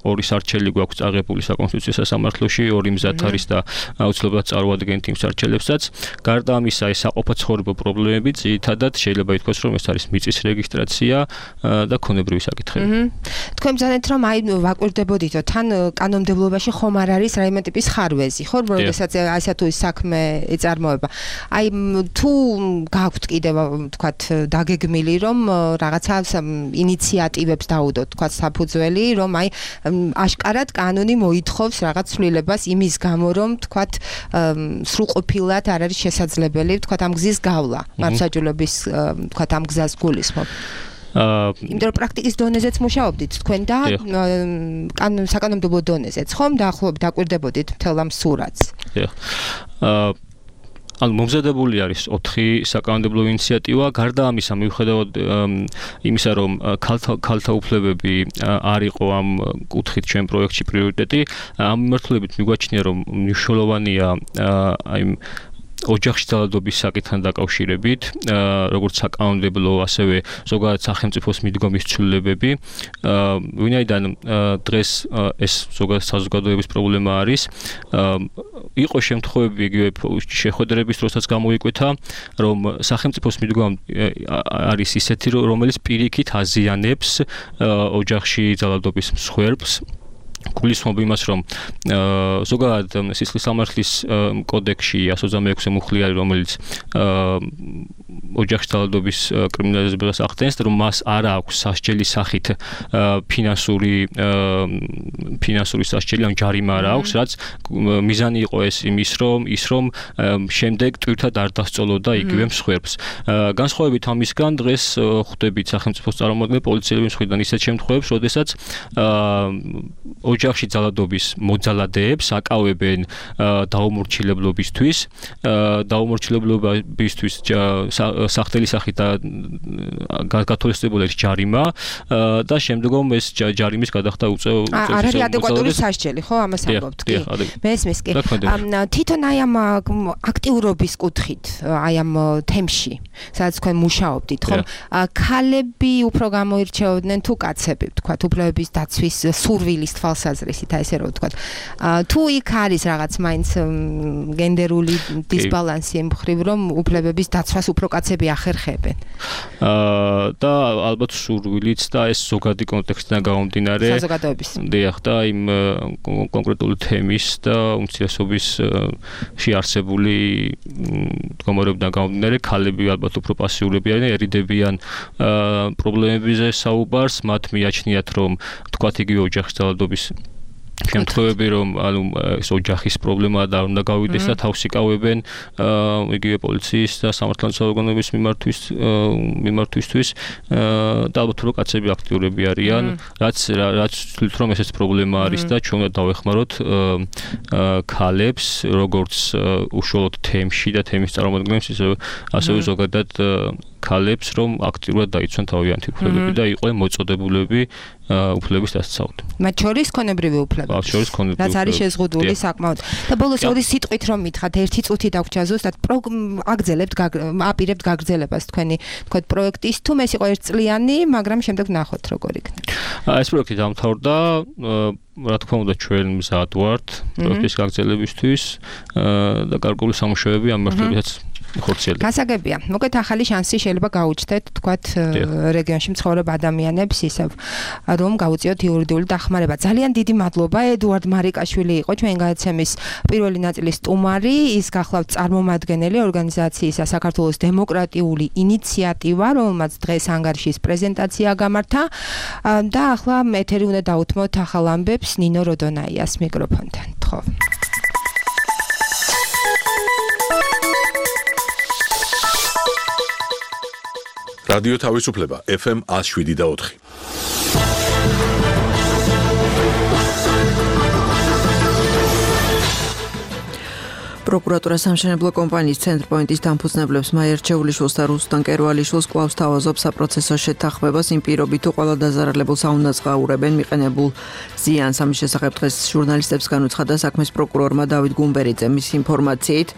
ორი სარჩელი გვაქვს აღებული საკონსტიტუციო სასამართლოში, ორი მზად არის და აუცილებლად წარმოადგენთ იმ სარჩელებსაც. გარდა ამისა, ეს საყოფაცხოვრებო პრობლემები ძირითადად შეიძლება ითქვას, რომ ეს არის მიწის რეგისტრაცია და ქონებრივი საკითხები. თქვენ ბრძანეთ, რომ აი ვაკვირდებოდითო, თან კანონმდებლობაში ხომ არ არის რაიმე ტიპის ხარვეზი, ხო, როდესაც ასა თუ ის საქმე ეწარმოება. აი თუ გაქვთ კიდევ ვთქვათ დაგეგმილი, რომ რაღაცა ინიციატივებს დაუდოთ, ვთქვათ საფუძველი, რომ აი აშკარად კანონი მოითხოვს რაღაც ცვლილებას იმის გამო, რომ ვთქვათ სრულყოფილად არ არის შესაძლებელი, ვთქვათ ამ გზის გავლა, მართლმსაჯულების ვთქვათ ამ გზას გულისხმობ. აა იმიტომ რომ პრაქტიკის დონეზეც მუშაობდით თქვენ და საკანონმდებლო დონეზეც, ხომ დაახლოებით დაკვირდებოდით მთელ ამ სურათს. აა ანუ მომზადებული არის ოთხი საკანონმდებლო ინიციატივა. გარდა ამისა, მიუხედავად იმისა, რომ ქალთა უფლებები არ იყო ამ კუთხით ჩვენ პროექტში პრიორიტეტი, ამ მიმართულებით მიგვაჩნია, რომ მნიშვნელოვანია აი ოჯახში ძალადობის საკითხთან დაკავშირებით, როგორც საკანონმდებლო, ასევე ზოგადად სახელმწიფოს მიდგომის ცვლილებები. ვინაიდან დღეს ეს ზოგადად საზოგადოების პრობლემა არის, იყო შემთხვევები იგივე შეხვედრების დროსაც გამოიკვეთა, რომ სახელმწიფოს მიდგომა არის ისეთი, რომელიც პირიქით აზიანებს ოჯახში ძალადობის მსხვერპლს. გულისხმობ იმას, რომ ზოგადად სისხლის სამართლის კოდექსში εκατს ოცდამეექვსე მუხლი არის, რომელიც ოჯახში ძალადობის კრიმინალიზებას ახდენს, რომ მას არ აქვს სასჯელი სახით ფინანსური ფინანსური სასჯელი, ან ჯარიმა არ აქვს, რაც მიზანი იყო ეს იმის, რომ ის რომ შემდეგ ტვირთად არ დასწოლოდა იგივე მსხვერპლს. განსხვავებით ამისგან, დღეს ხვდებით სახელმწიფოს წარმომადგენლები, პოლიციელების მხრიდან ისეთ შემთხვევებს, როდესაც ოჯახში ძალადობის მოძალადეებს აკავებენ დაუმორჩილებლობისთვის, დაუმორჩილებლობისთვის სახთელი სახით გათვალისწინებული ჯარიმა და შემდგომ ეს ჯარიმის გადახდა უწევ უწევ არ არის ადეკვატური სასჯელი, ხო, ამას ამბობთ, კი. მესმის კი. თვითონ აი ამ აქტიურობის კუთხით, აი ამ თემში, სადაც თქვენ მუშაობდით, ხო? ქალები უფრო გამოირჩეოდნენ თუ კაცები, თქვათ, უფლებების დაცვის სურვილის თვალსაზრისით, აი ესე რომ ვთქვათ. თუ იქ არის რაღაც მაინც გენდერული დისბალანსი მხრივ, რომ უფლებების დაცვას უფრო კაცები ახერხებენ. აა და ალბათ სურვილიც და ეს ზოგადი კონტექსტიდან გამომდინარე. საზოგადოების. დიახ, და იმ კონკრეტული თემის და უმცირესობის შეარსებული მდგომარეობიდან გამომდინარე, ქალები ალბათ უფრო პასიურები არიან, ერიდებიან პრობლემებზე საუბარს, მათ მიაჩნიათ, რომ თქვათ იგივე ოჯახის ძალადობის შემთხვევები, რომ ანუ ეს ოჯახის პრობლემაა და უნდა გავიდეს და თავს იკავებენ იგივე პოლიციის და სამართალდამცავ ორგანოების მიმართვის მიმართვისთვის და ალბათ რომ კაცები აქტიურები არიან, რაც რაც თვლით რომ ესეც პრობლემა არის და ჩვენ უნდა დავეხმაროთ ქალებს, როგორც უშუალოდ თემში და თემის წარმომადგენლებს, ასევე ზოგადად ქალებს, რომ აქტიურად დაიცვან თავიანთი უფლებები და იყვნენ მოწოდებულები უფლების დასაცავად. მათ შორის ქონებრივი უფლებები. მათ შორის ქონებრივი უფლებები. რაც არის შეზღუდული საკმაოდ. და ბოლოს ორი სიტყვით რომ მითხრათ, ერთი წუთი დაგვრჩა ზუსტად აგრძელებთ, აპირებთ გაგრძელებას თქვენი თქვენ პროექტის, თუ ეს იყო ერთწლიანი, მაგრამ შემდეგ ნახოთ როგორ იქნება. ეს პროექტი დამთავრდა, რა თქმა უნდა ჩვენ მზად ვართ პროექტის გაგრძელებისთვის და გარკვეული სამუშაოები ამ მიმართულებითაც ხორციელდება. გასაგებია. მოკლედ ახალი შანსი შეიძლება გაუჩნდეთ, თქვათ, რეგიონში მცხოვრებ ადამიანებს ისევ, რომ გაუწიოთ იურიდიული დახმარება. ძალიან დიდი მადლობა. ედუარდ მარიკაშვილი იყო ჩვენ გადაცემის პირველი ნაწილის სტუმარი, ის გახლავთ წარმომადგენელი ორგანიზაციისა საქართველოს დემოკრატიული ინიციატივა, რომელმაც დღეს ანგარიშის პრეზენტაცია გამართა და ახლა ეთერი უნდა დაუთმოთ ახალ ამბებს ნინო როდონაიას მიკროფონთან. ხო. რადიო თავისუფლება ეფ ემ one oh seven და four. პროკურატურა სამშენებლო კომპანიის ცენტრპოინტის დამფუძნებლებს მაიერჩეულიშვილს და რუსტან კერვალიშვილს კვლავ სთავაზობს საპროცესო შეთანხმებას იმ პირობით, თუ ყველა დაზარალებულს აუნაწყვაურებენ მიყენებულ ზიანს. ამის შესახებ დღეს ჟურნალისტებს განუცხადა საქმის პროკურორმა დავით გუმბერიძე. მის ინფორმაციით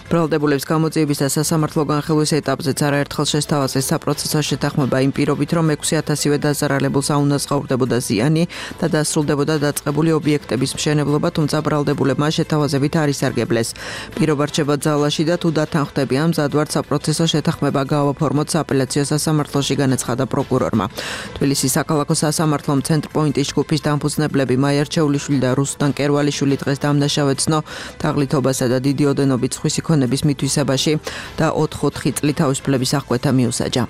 ბრალდებულების გამოძიების და სასამართლო განხილვის ეტაპზეც არაერთხელ შესთავაზეს საპროცესო შეთანხმება იმ პირობით, რომ ექვსი ათასივე დაზარალებულს აუნაწყვაურდებოდა ზიანი და დასრულდებოდა დაწყებული ობიექტების მშენებლობა, თუმცა ბრალდებულებმა შეთავაზებით არ ისარგებლეს. პირობა რჩება ძალაში და თუ დათანხმდები ამ მზადვართ საპროცესო შეთანხმება გავაფორმოთ სააპელაციო სასამართლოში, განაცხადა პროკურორმა. თბილისის საქალაქო სასამართლომ ცენტრპოინტის ჯგუფის დამფუძნებლები მაიერჩეულიშვილი და რუსტან კერვალიშვილი დღეს დამნაშავედ ცნო თაღლითობასა და დიდი ოდენობით სხვისი ქონების მითვისებაში და ოთხ-ოთხი წლით თავისუფლების აღკვეთა მიუსაჯა.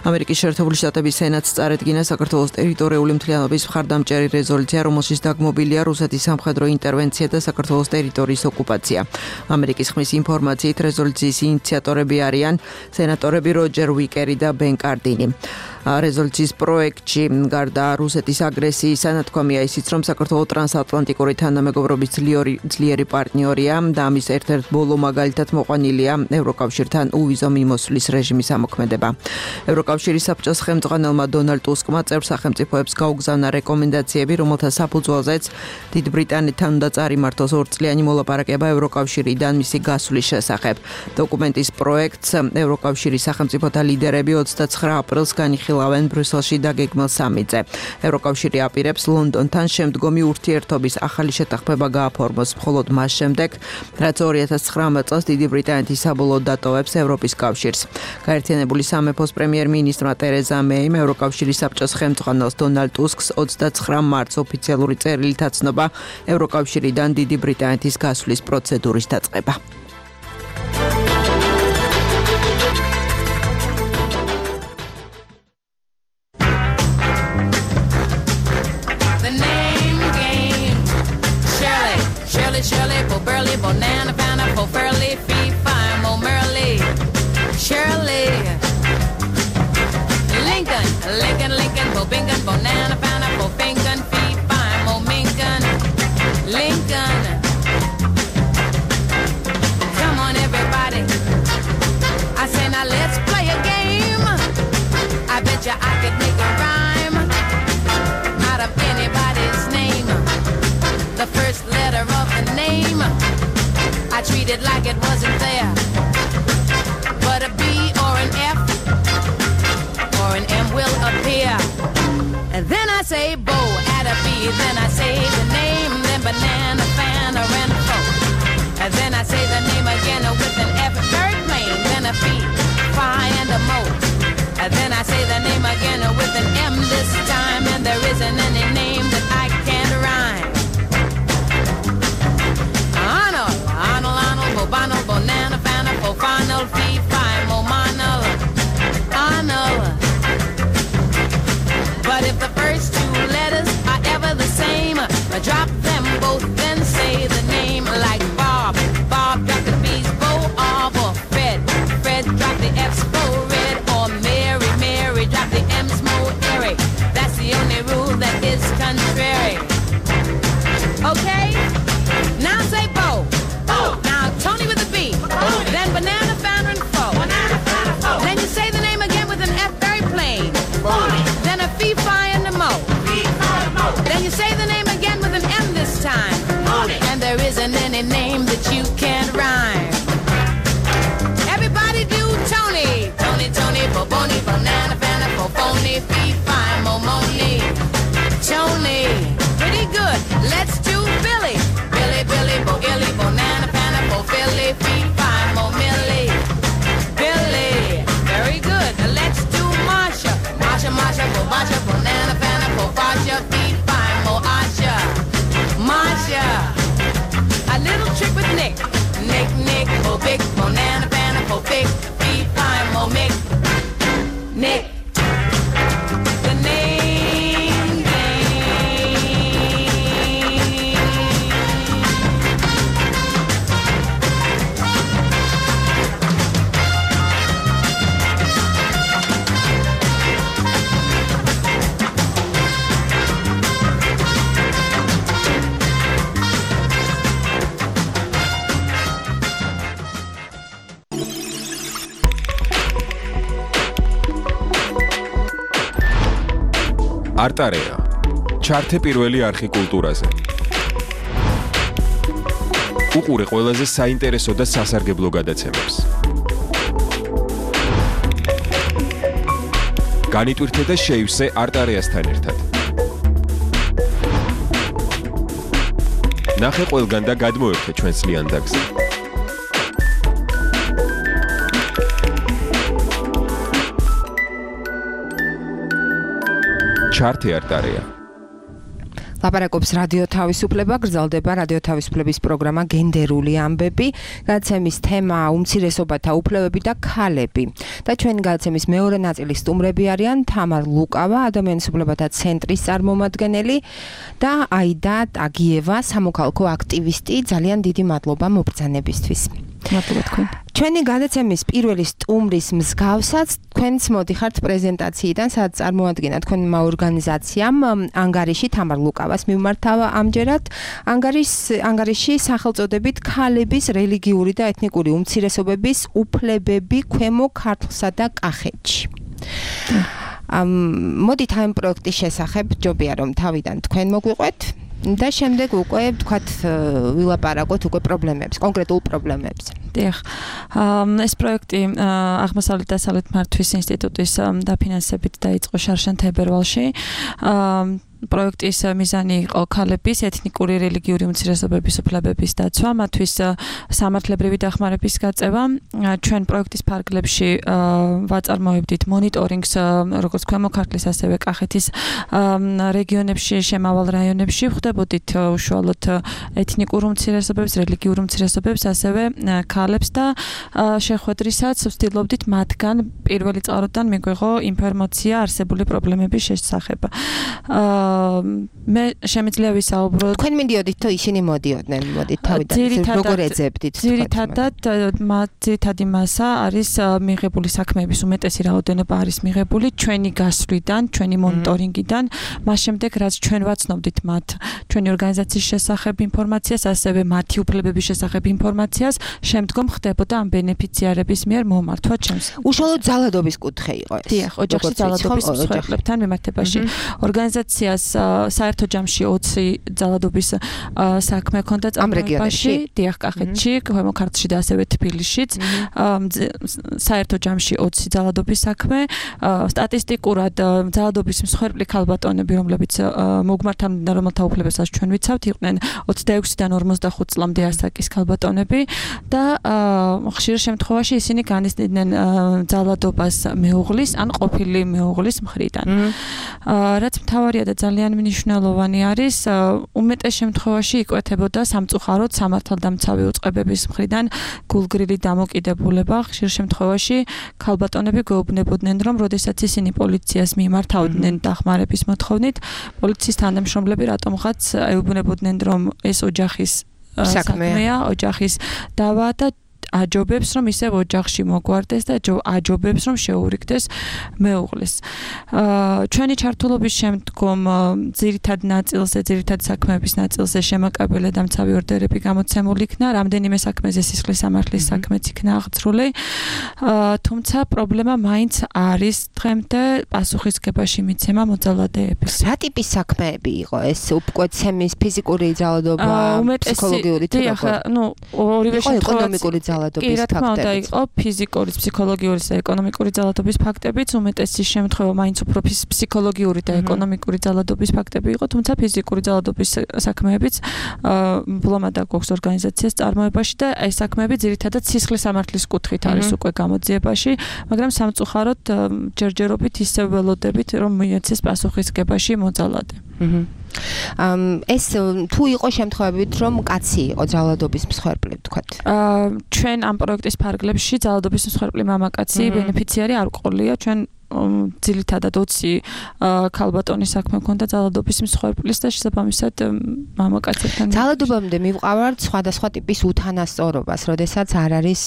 ამერიკის შეერთებული შტატების სენატს წარედგინა საქართველოს ტერიტორიული მთლიანობის მხარდამჭერი რეზოლუცია, რომელშიც დაგმობილია რუსეთის სამხედრო ინტერვენცია და საქართველოს ტერიტორიის ოკუპაცია. ამერიკის ხმის ინფორმაციით რეზოლუციის ინიციატორები არიან სენატორები როჯერ ვიკერი და ბენ კარდინი. რეზოლუციის პროექტში გარდა რუსეთის აგრესიის ანათქვამია ისიც, რომ საქართველოს ტრანსატლანტიკური თანამეგობრობის ძლიერი პარტნიორია და ამის ერთ-ერთ ბოლო მაგალითად მოყვანილია ევროკავშირთან უვიზო მიმოსვლის რეჟიმის ამოქმედება. ევროკავშირის საბჭოს ხელმძღვანელმა დონალდ ტუსკმა წევრ სახელმწიფოებს გაუგზავნა რეკომენდაციები, რომელთა საფუძველზეც დიდ ბრიტანეთთან უნდა წარიმართოს ორწლიანი მოლაპარაკება ევროკავშირიდან მისი გასვლის შესახებ. დოკუმენტის პროექტს ევროკავშირის სახელმწიფოთა ლიდერები ოცდაცხრა აპრილს განიხილავენ ბრიუსელში დაგეგმილ სამიტზე. ევროკავშირი აპირებს ლონდონთან შემდგომი ურთიერთობის ახალი შეთანხმება გააფორმოს მხოლოდ მას შემდეგ, რაც ორი ათას ცხრამეტ წელს დიდი ბრიტანეთის საბოლოოდ დატოვებს ევროპის კავშირს. გაერთიანებული სამეფოს პრემიერ-მინისტრმა ტერეზა მეიმ ევროკავშირის საბჭოს ხელმძღვანელს დონალდ ტუსკს ოცდაცხრა მარტს ოფიციალური წერილით აცნობა ევროკავშირიდან დიდი ბრიტანეთის გასვლის პროცედურის დაწყება. Shirley, Bo Burley, Bonana, Fana, Bo Furley, Fee, Fine, Mo Merley, Shirley, Lincoln, Lincoln, Lincoln, Bo Bingham, Bonana, Fana, Bo Fingon, Fee, Fine, Mo Minkin, Lincoln. Come on, everybody. I say now let's play a game. I bet you I could make a rhyme out of anybody's name. The first letter of the name I treat it like it wasn't there, but a B or an F or an M will appear. And then I say Bo, add a B, then I say the name, then banana, fan, or an O. And then I say the name again with an F, very plain, then a P, Phi, and a Mo. And then I say the name again with an M this time, and there isn't any name that I can't rhyme. Arnold, Arnold, Arnold, Bobano, Bonana, Fana, Fofanal, Fee, Fi, Momanal, Arnold. But if the first two letters are ever the same, drop them both, then say the name like Bob. Bob, drop the B's, Bo, Arb, or Fred. Fred, drop the F's, Bo, Red, or Mary. Mary, drop the M's, Mo, Eric. That's the only rule that is contrary. Okay? Now say Bo. Bo. Now Tony with a B. Bo. Then banana, founder, and foe. Banana, founder, foe. Then you say the name again with an F, very plain. Bo. Then a fee, fi, and a mo. Fee, fi, mo. Then you say the name again with an M this time. Tony. And there isn't any name that you can't rhyme. Everybody do Tony. Tony, Tony, Boboni, banana, founder, Boboni, fee, fi, mo, moni. Tony. Pretty good. Let's do Billy. Billy, Billy, Bo Gilly, Bonana, Pana, Bo Philly, Fee, Fi, Mo Millie. Billy, very good. Let's do Marsha. Marsha, Marsha, Bo Basha, Bonana, Pana, Bo Basha, Fee, Fi, Mo Asha. Marsha. A little trick with Nick. Nick, Nick. არტარეა. ჩართე პირველი არხი კულტურაზე. უყურე ყველაზე საინტერესო და სასარგებლო გადაცემებს. განიტვირთე და შეივსე არტარეასთან ერთად. ნახე ყველგან და გადმოერთე ჩვენს ლიანდაგზე. ჩართე არტარეა. ლაპარაკობს რადიო თავისუფლება, გრძელდება რადიო თავისუფლების პროგრამა გენდერული ამბები, გადაცემის თემა უმცირესობათა უფლებები და ქალები. და ჩვენი გადაცემის მეორე ნაწილის სტუმრები არიან თამარ ლუკავა, ადამიანის უფლებათა ცენტრის წარმომადგენელი და აიდა ტაგიევა, სამოქალაქო აქტივისტი. ძალიან დიდი მადლობა მობრძანებისთვის. მადლობა თქვენ. ჩვენი გადაცემის პირველი სტუმრის მსგავსად თქვენც მოდიხართ პრეზენტაციიდან, სადაც წარმოადგენთ თქვენმა ორგანიზაციამ ანგარიში თამარ ლუკავას მიმართავა ამჯერად ანგარის ანგარიში სახელწოდებით ქალების რელიგიური და ეთნიკური უმცირესობების უფლებები ქვემო ქართლსა და კახეთში. ამ მოდით ამ პროექტის შესახებ ჯობია რომ თავიდან თქვენ მოგვიყვეთ და შემდეგ უკვე ვთქვათ ვილაპარაკოთ უკვე პრობლემებს, კონკრეტულ პრობლემებს. დიახ. ეს პროექტი აღმოსავლეთ დასავლეთ მართვის ინსტიტუტის დაფინანსებით დაიწყო შარშან თებერვალში. პროექტის მიზანი იყო ქალების ეთნიკური რელიგიური უმცირესობების უფლებების დაცვა, მათთვის სამართლებრივი დახმარების გაწევა. ჩვენ პროექტის ფარგლებში ვაწარმოებდით მონიტორინგს როგორც ქვემო ქართლის, ასევე კახეთის რეგიონებში, შემავალ რაიონებში, ვხვდებოდით უშუალოდ ეთნიკურ უმცირესობებს, რელიგიურ უმცირესობებს, ასევე ქალებს და შეხვედრისაც ვცდილობდით მათგან პირველი წყაროდან მიგვიღო ინფორმაცია არსებული პრობლემების შესახებ. მე შემიძლია ვისაუბრო. თქვენ მიდიოდით თუ ისინი მოდიოდნენ, მოდით თავიდან როგორ ეძებდით? ძირითადად ძირითადი მასა არის მიღებული საქმეების უმეტესი რაოდენობა არის მიღებული ჩვენი გასვლიდან, ჩვენი მონიტორინგიდან, მას შემდეგ რაც ჩვენ ვაცნობდით მათ ჩვენი ორგანიზაციის შესახებ ინფორმაციას, ასევე მათი უფლებების შესახებ ინფორმაციას, შემდგომ ხდებოდა ამ ბენეფიციარების მიერ მომართვა ჩემს. უშუალოდ ძალადობის კუთხე იყო ეს. დიახ, ოჯახში ძალადობის მსხვერპლებთან მიმართებაში. ორგანიზაციას საერთო ჯამში ოცი ძალადობის საქმე ჰქონდა წამოწყებაში, დიახ, კახეთში, ქვემო ქართლში და ასევე თბილისშიც. საერთო ჯამში ოცი ძალადობის საქმე. სტატისტიკურად ძალადობის მსხვერპლი ქალბატონები, რომლებიც მოგმართან და რომელთა უფლებასაც ჩვენ ვიცავთ, იყვნენ ოცდაექვსიდან ორმოცდახუთ წლამდე ასაკის ქალბატონები და ხშირ შემთხვევაში ისინი განიცდიდნენ ძალადობას მეუღლის ან ყოფილი მეუღლის მხრიდან. რაც მთავარია და ძალიან მნიშვნელოვანი არის, უმეტეს შემთხვევაში იკვეთებოდა სამწუხაროდ სამართალდამცავი უწყებების მხრიდან გულგრილი დამოკიდებულება. ხშირ შემთხვევაში ქალბატონები გვეუბნებოდნენ, რომ როდესაც ისინი პოლიციას მიმართავდნენ დახმარების მოთხოვნით, პოლიციის თანამშრომლები რატომღაც ეუბნებოდნენ, რომ ეს ოჯახის საქმეა, ოჯახის დავა და აჯობებს, რომ ისევ ოჯახში მოგვარდეს და აჯობებს, რომ შეურიგდეს მეუღლის. ჩვენი ჩართულობის შემდგომ ძირითად ნაწილზე, ძირითად საქმეების ნაწილზე შემაკაბელე და მცავი ორდერები გამოცემული იქნა, რამდენიმე საქმეზე სისხლის სამართლის საქმეც იქნა აღძრული. თუმცა პრობლემა მაინც არის დღემდე პასუხისგებაში მიცემა მოძალადეების. რა ტიპის საქმეები იყო ეს? უპკვეთცემის, ფიზიკური ძალადობა, ფსიქოლოგიური თუ დიახ, ნუ ორივე ეკონომიკური ძალადობის კი, რა თქმა უნდა, იყო ფიზიკური, ფსიქოლოგიური და ეკონომიკური ძალადობის ფაქტებიც, უმეტესი შემთხვევა მაინც უფრო ფსიქოლოგიური და ეკონომიკური ძალადობის ფაქტები იყო, თუმცა ფიზიკური ძალადობის საქმეებიც ბლომადა გვაქვს ორგანიზაციას წარმოებაში და ეს საქმეები ძირითადად სისხლის სამართლის კუთხით არის უკვე გამოძიებაში, მაგრამ სამწუხაროდ ჯერჯერობით ისევ ველოდებით, რომ მიეცეს პასუხისგებაში მოძალადე. ეს თუ იყო შემთხვევებით, რომ კაცი იყო ძალადობის მსხვერპლი, ვთქვათ. ჩვენ ამ პროექტის ფარგლებში ძალადობის მსხვერპლი მამაკაცი ბენეფიციარი არ ყოლია, ჩვენ ძირითადად ოცი ქალბატონის საქმე ჰქონდა ძალადობის მსხვერპლის და შესაბამისად მამაკაცებთან. ძალადობამდე მივყავართ სხვადასხვა ტიპის უთანასწორობას, როდესაც არ არის,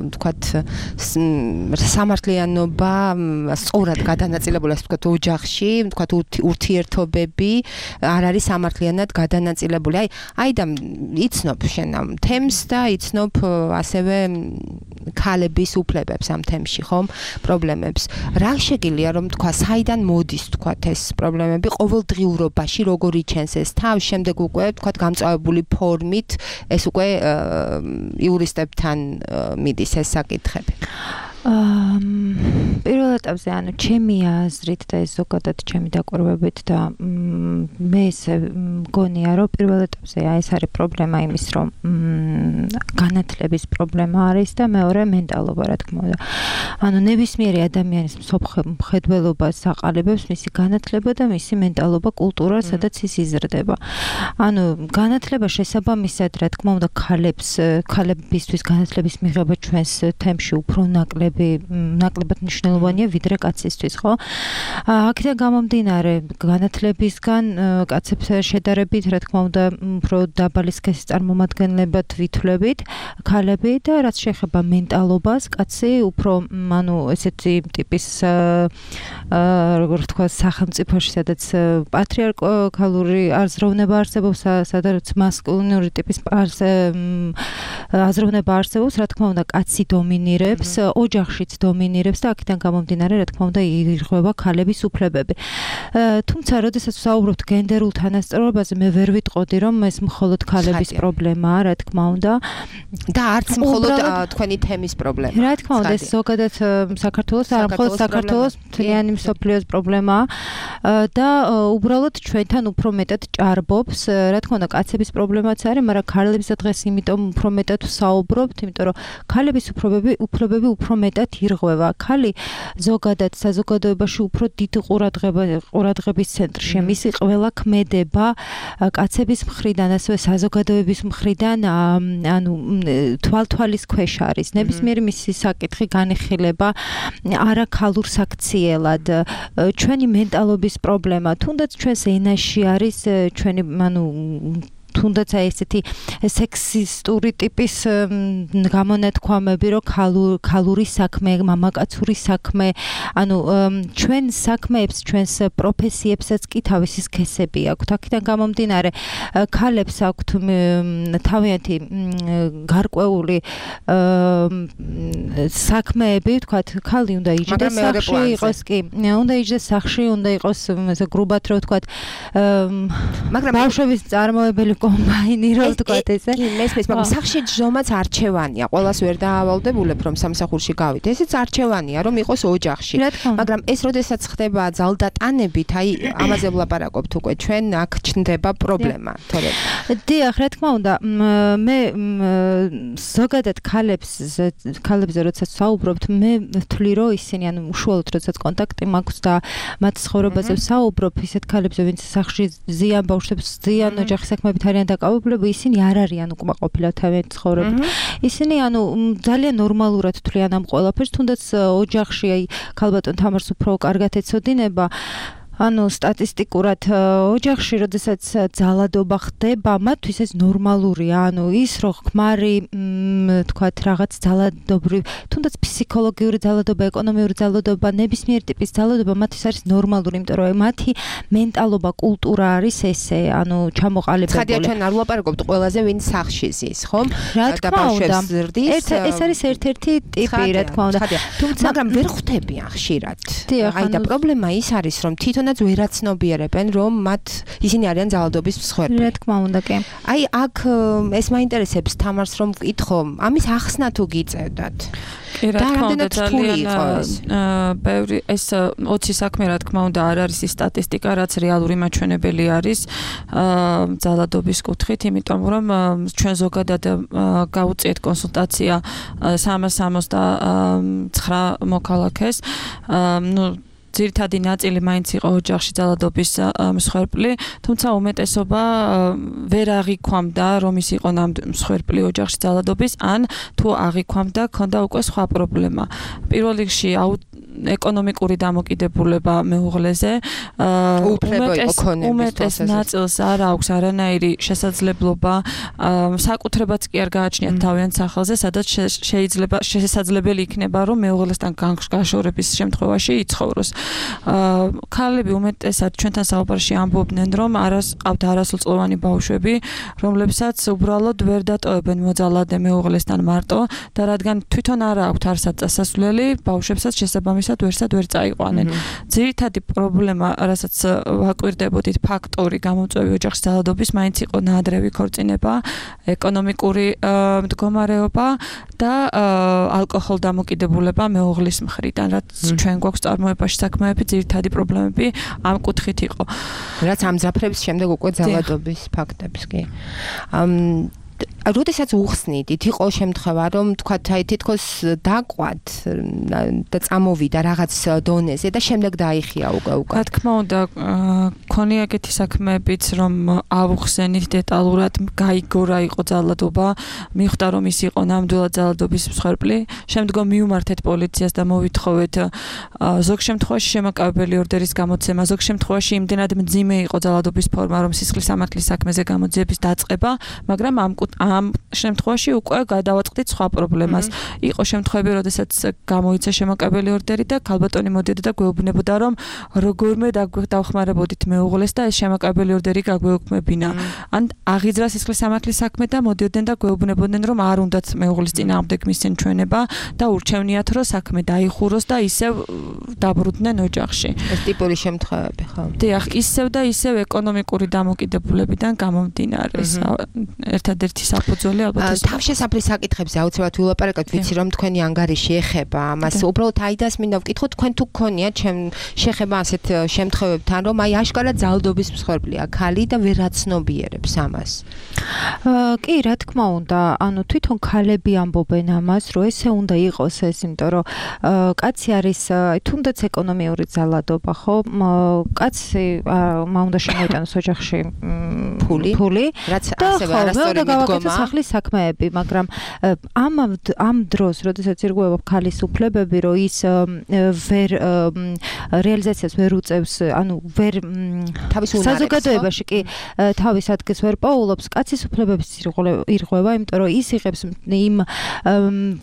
ვთქვათ, სამართლიანობა სწორად გადანაწილებული, ასე ვთქვათ, ოჯახში, ვთქვათ, ურთიერთობები არ არის სამართლიანად გადანაწილებული. აი, აი და იცნობ შენ ამ თემს და იცნობ ასევე ქალების უფლებებს ამ თემში, ხომ? პრობლემებს. რა შეგიძლია რომ თქვა საიდან მოდის თქვა ეს პრობლემები ყოველდღიურობაში როგორ იჩენს ეს თავს შემდეგ უკვე თქვა გამწვავებული ფორმით ეს უკვე იურისტებთან მიდის ეს საკითხები პირველ ეტაპზე ანუ ჩემი აზრით და ეს ზოგადად ჩემი დაკვირვებით და მე ესე მგონია რომ პირველ ეტაპზე აი ეს არის პრობლემა იმის რომ განათლების პრობლემა არის და მეორე მენტალობა რა თქმა უნდა ანუ ნებისმიერი ადამიანის მხედველობას აყალიბებს მისი განათლება და მისი მენტალობა კულტურა სადაც ის იზრდება ანუ განათლება შესაბამისად რა თქმა უნდა ქალებს ქალებისთვის განათლების მიღება ჩვენს თემში უფრო ნაკლები ნაკლებად მნიშვნელოვანია ვიდრე კაცისთვის, ხო? აქედან გამომდინარე, განათლებისგან კაცებს შედარებით, რა თქმა უნდა, უფრო დაბალი სქესის წარმომადგენლებად ვითვლებით, ქალები და რაც შეეხება მენტალობას, კაცი უფრო, ანუ ესეთი ტიპის როგორ თქვა, სახელმწიფოში, სადაც პატრიარქალური აზროვნება არსებობს, სადაც მასკულინური ტიპის აზროვნება არსებობს, რა თქმა უნდა, კაცი დომინირებს, ოჯახშიც დომინირებს და აქედან გამომდინარე, რა თქმა უნდა, ირღვევა ქალების უფლებები. თუმცა, როდესაც ვსაუბრობთ გენდერულ თანასწორობაზე, მე ვერ ვიტყოდი, რომ ეს მხოლოდ ქალების პრობლემაა, რა თქმა უნდა. და არც მხოლოდ თქვენი თემის პრობლემაა. რა თქმა უნდა, ეს ზოგადად საქართველოს, არა მხოლოდ საქართველოს, მთლიანი მსოფლიოს პრობლემაა და უბრალოდ ჩვენთან უფრო მეტად ჭარბობს, რა თქმა უნდა, კაცების პრობლემაც არის, მაგრამ ქალებისა დღეს იმიტომ უფრო მეტად ვსაუბრობთ, იმიტომ რომ ქალების უფლებები, უფლებები უფრო მეტად ირღვევა. ქალი ზოგადად საზოგადოებაში უფრო დიდ ყურადღების ცენტრშია. მისი ყველა ქმედება კაცების მხრიდან, ასევე საზოგადოების მხრიდან, ანუ თვალთვალის ქვეშ არის. ნებისმიერი მისი საკითხი განეხილება არაქალურ საქციელად. ჩვენი მენტალობის პრობლემა, თუნდაც ჩვენს ენაში არის ჩვენი, ანუ თუნდაც აი ესეთი სექსისტური ტიპის გამონათქვამები, რომ ქალური საქმე, მამაკაცური საქმე, ანუ ჩვენ საქმეებს, ჩვენს პროფესიებსაც კი თავისი სქესები აქვთ. აქედან გამომდინარე, ქალებს აქვთ თავიანთი გარკვეული საქმეები, ვთქვათ, ქალი უნდა იჯდეს სახში, იყოს კი, უნდა იჯდეს სახში, უნდა იყოს გრუბად რო ვთქვათ, მაგრამ ბავშვების წარმოებელი კომბაინი რო ვთქვათ ესე. კი, მესმის, მაგრამ სახში ჯომაც არჩევანია. ყველას ვერ დაავალდებულებ, რომ სამსახურში გავიდე. ესეც არჩევანია, რომ იყოს ოჯახში. მაგრამ ეს როდესაც ხდება ძალდატანებით, აი ამაზე ვლაპარაკობთ უკვე ჩვენ, აქ ჩნდება პრობლემა, თორე. დიახ, რა თქმა უნდა, მე ზოგადად ქალებს ქალებზე როდესაც ვსაუბრობთ, მე ვთვლი, რომ ისინი ანუ უშუალოდ როდესაც კონტაქტი მაქვს და მათ ცხოვრებაზე ვსაუბრობ, ისეთ ქალებზე, ვინც სახში ზიან ბავშვებს, ზიან ოჯახის საქმეებით არიან დაკავებული, ისინი არ არიან უკმაყოფილად თავიანთი ცხოვრებით. ისინი ანუ ძალიან ნორმალურად თვლიან ამ ყველაფერს, თუნდაც ოჯახში აი ქალბატონ თამარს უფრო კარგად ეცოდინება. ანუ სტატისტიკურად ოჯახში, როდესაც ძალადობა ხდება, მათთვის ეს ნორმალურია. ანუ ის რო ხმარი, თქვათ, რაღაც ძალადობრივ, თუნდაც ფსიქოლოგიური ძალადობა, ეკონომიური ძალადობა, ნებისმიერ ტიპის ძალადობა მათთვის არის ნორმალური, იმიტომ რომ მათი მენტალობა, კულტურა არის ესე, ანუ ჩამოყალიბებული. ცხადია, ჩვენ არ ვლაპარაკობთ ყველაზე, ვინ სახში ზის, ხომ? რა თქმა უნდა. ეს არის ერთ-ერთი ტიპი, რა თქმა უნდა. თუმცა, მაგრამ ვერ ხვდებიან ხშირად. აი და პრობლემა ის არის, რომ თვითონ რაც ვერაცნობიერებენ, რომ მათ ისინი არიან ძალადობის მსხვერპლი. რა თქმა უნდა, კი. აი, აქ ეს მაინტერესებს თამარს რომ ვკითხო, ამის ახსნა თუ გიწევდათ. კი, რა თქმა უნდა, ძალიან ბევრი ეს ოცი საქმე, რა თქმა უნდა, არ არის ის სტატისტიკა, რაც რეალური მაჩვენებელი არის ძალადობის კუთხით, იმიტომ რომ ჩვენ ზოგადად გავუწიეთ კონსულტაცია სამას სამოცდათვრამეტ მოქალაქეს, ნუ ძირითადი ნაწილი მაინც იყო ოჯახში ძალადობის მსხვერპლი, თუმცა უმეტესობა ვერ აღიქვამდა, რომ ის იყო მსხვერპლი ოჯახში ძალადობის, ან თუ აღიქვამდა, ქონდა უკვე სხვა პრობლემა. პირველ რიგში ეკონომიკური დამოკიდებულება მეუღლეზე, უმეტეს ნაწილს არ აქვს არანაირი შესაძლებლობა, საკუთრებაც კი არ გააჩნიათ თავიანთ სახელზე, სადაც შეიძლება შესაძლებელი იქნება, რომ მეუღლესთან გაშორების შემთხვევაში იცხოვროს. ქალები უმეტესად ჩვენთან საუბარში ამბობდნენ, რომ არას ყავთ არასრულწლოვანი ბავშვები, რომლებსაც უბრალოდ ვერ დატოვებენ მოძალადე მეუღლესთან მარტო და რადგან თვითონ არა აქვთ არსად წასასვლელი, ბავშვებსაც შესაბამისად ამისად ვერსად ვერ წაიყვანენ. ძირითადი პრობლემა, რასაც ვაკვირდებოდით, ფაქტორი გამოწვევი ოჯახის ძალადობის მაინც იყო ნაადრევი ქორწინება, ეკონომიკური მდგომარეობა და ალკოჰოლ დამოკიდებულება მეუღლის მხრიდან, რაც ჩვენ გვაქვს წარმოებაში საქმეები, ძირითადი პრობლემები ამ კუთხით იყო. რაც ამძაფრებს შემდეგ უკვე ძალადობის ფაქტებს კი. როდესაც უხსნიდით, იყო შემთხვევა, რომ თქვათ, აი თითქოს დაყვათ და წამოვიდა რაღაც დონეზე და შემდეგ დაიხია უკვე უკვე. რა თქმა უნდა, ქონია ეგეთი საქმეებიც, რომ ავუხსენით დეტალურად, გაიგო რა იყო ძალადობა, მიხვდა რომ ის იყო ნამდვილად ძალადობის მსხვერპლი, შემდგომ მივმართეთ პოლიციას და მოვითხოვეთ ზოგ შემთხვევაში შემაკავებელი ორდერის გამოცემა, ზოგ შემთხვევაში იმდენად მძიმე იყო ძალადობის ფორმა, რომ სისხლის სამართლის საქმეზე გამოძიების დაწყება, მაგრამ ამ ამ შემთხვევაში უკვე გადავაწყდით სხვა პრობლემას. იყო შემთხვევები, როდესაც გამოიცა შემაკავებელი ორდერი და ქალბატონი მოდიოდა და გვეუბნებოდა, რომ როგორმე დავხმარებოდით მეუღლეს და ეს შემაკავებელი ორდერი გაგვეუქმებინა. ან აღიძრა სისხლის სამართლის საქმე და მოდიოდნენ და გვეუბნებოდნენ, რომ არ უნდათ მეუღლის წინააღმდეგ მისცენ ჩვენება და ურჩევნიათ, რომ საქმე დაიხუროს და ისევ დაბრუნდნენ ოჯახში. ეს ტიპური შემთხვევები, ხო? დიახ, ისევ და ისევ ეკონომიკური დამოკიდებულებიდან გამომდინარე. ერთადერთი საფუძველი ალბათ ეს. თავშესაფრის საკითხებზე აუცილებლად ვილაპარაკოთ, ვიცი რომ თქვენი ანგარიში ეხება ამას. უბრალოდ აიდას მინდა ვკითხო, თქვენ თუ გქონია ჩემ შეხება ასეთ შემთხვევებთან, რომ აი აშკარად ძალადობის მსხვერპლია ქალი და ვერ აცნობიერებს ამას. კი, რა თქმა უნდა, ანუ თვითონ ქალები ამბობენ ამას, რომ ესე უნდა იყოს ეს, იმიტომ რომ კაცი არის თუნდაც ეკონომიური ძალადობა, ხო? კაცი უნდა შემოიტანოს ოჯახში ფული, ფული, რაც ასევე არასწორი მიდგომა. სახლის საქმეები, მაგრამ ამ ამ დროს, როდესაც ირღვევა ქალის უფლებები, რომ ის ვერ რეალიზაციას ვერ უწევს, ანუ ვერ თავის უნარებს საზოგადოებაში კი თავის ადგილს ვერ პოულობს, კაცის უფლებების ირღვევა, იმიტომ რომ ის იღებს იმ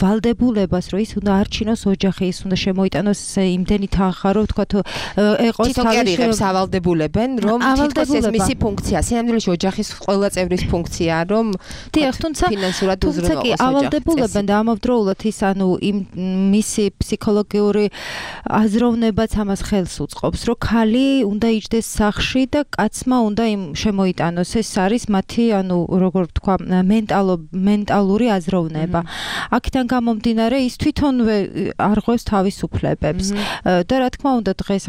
ვალდებულებას, რომ ის უნდა არჩინოს ოჯახი, ის უნდა შემოიტანოს იმდენი თანხა, რომ თქვა ეყოს თვითონ კი იღებს ავალდებულებენ, რომ თითქოს ეს მისი ფუნქცია, სინამდვილეში ოჯახის ყველა წევრის ფუნქცია, რომ დიახ, თუმცა ფინანსურად უზრუნველყოს ოჯახს. ავალდებულებენ და ამავდროულად ის ანუ იმ მისი ფსიქოლოგიური აზროვნებაც ამას ხელს უწყობს, რომ ქალი უნდა იჯდეს სახლში და კაცმა უნდა იმ შემოიტანოს. ეს არის მათი, ანუ როგორ ვთქვა, მენტალო მენტალური აზროვნება. აქედან გამომდინარე, ის თვითონვე არღვევს თავის უფლებებს. და რა თქმა უნდა, დღეს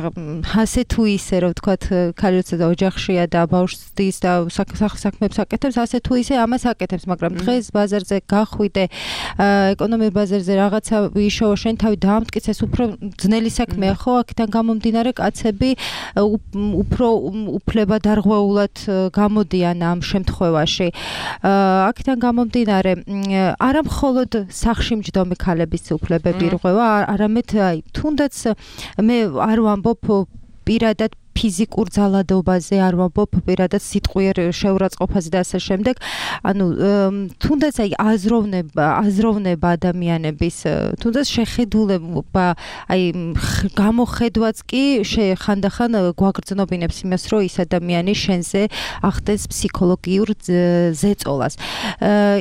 ასე თუ ისე, რომ ვთქვათ, ქალი როცა ოჯახშია და ბავშვს და საქმეებს აკეთებს, ასე თუ ისე ამას აკეთებს, მაგრამ დღეს ბაზარზე გახვიდე, ეკონომიკურ ბაზარზე რაღაცა იშოვა, შენ თავი დაამტკიცე, ეს უფრო ძნელი საქმეა, ხო? აქედან გამომდინარე, კაცები უფრო უფლებადარღვეულად გამოდიან ამ შემთხვევაში. აქედან გამომდინარე, არა მხოლოდ სახლში მჯდომი ქალების უფლებები ირღვევა, არამედ აი თუნდაც მე არ ვამბობ პირადად ფიზიკურ ძალადობაზე, არ ვამბობ პირადად სიტყვიერ შეურაცხყოფაზე და ასე შემდეგ. ანუ თუნდაც აი აზროვნება, აზროვნება ადამიანების, თუნდაც შეხედულება, აი გამოხედვაც კი ხანდახან გვაგრძნობინებს იმას, რომ ის ადამიანი შენზე ახდენს ფსიქოლოგიურ ზეწოლას.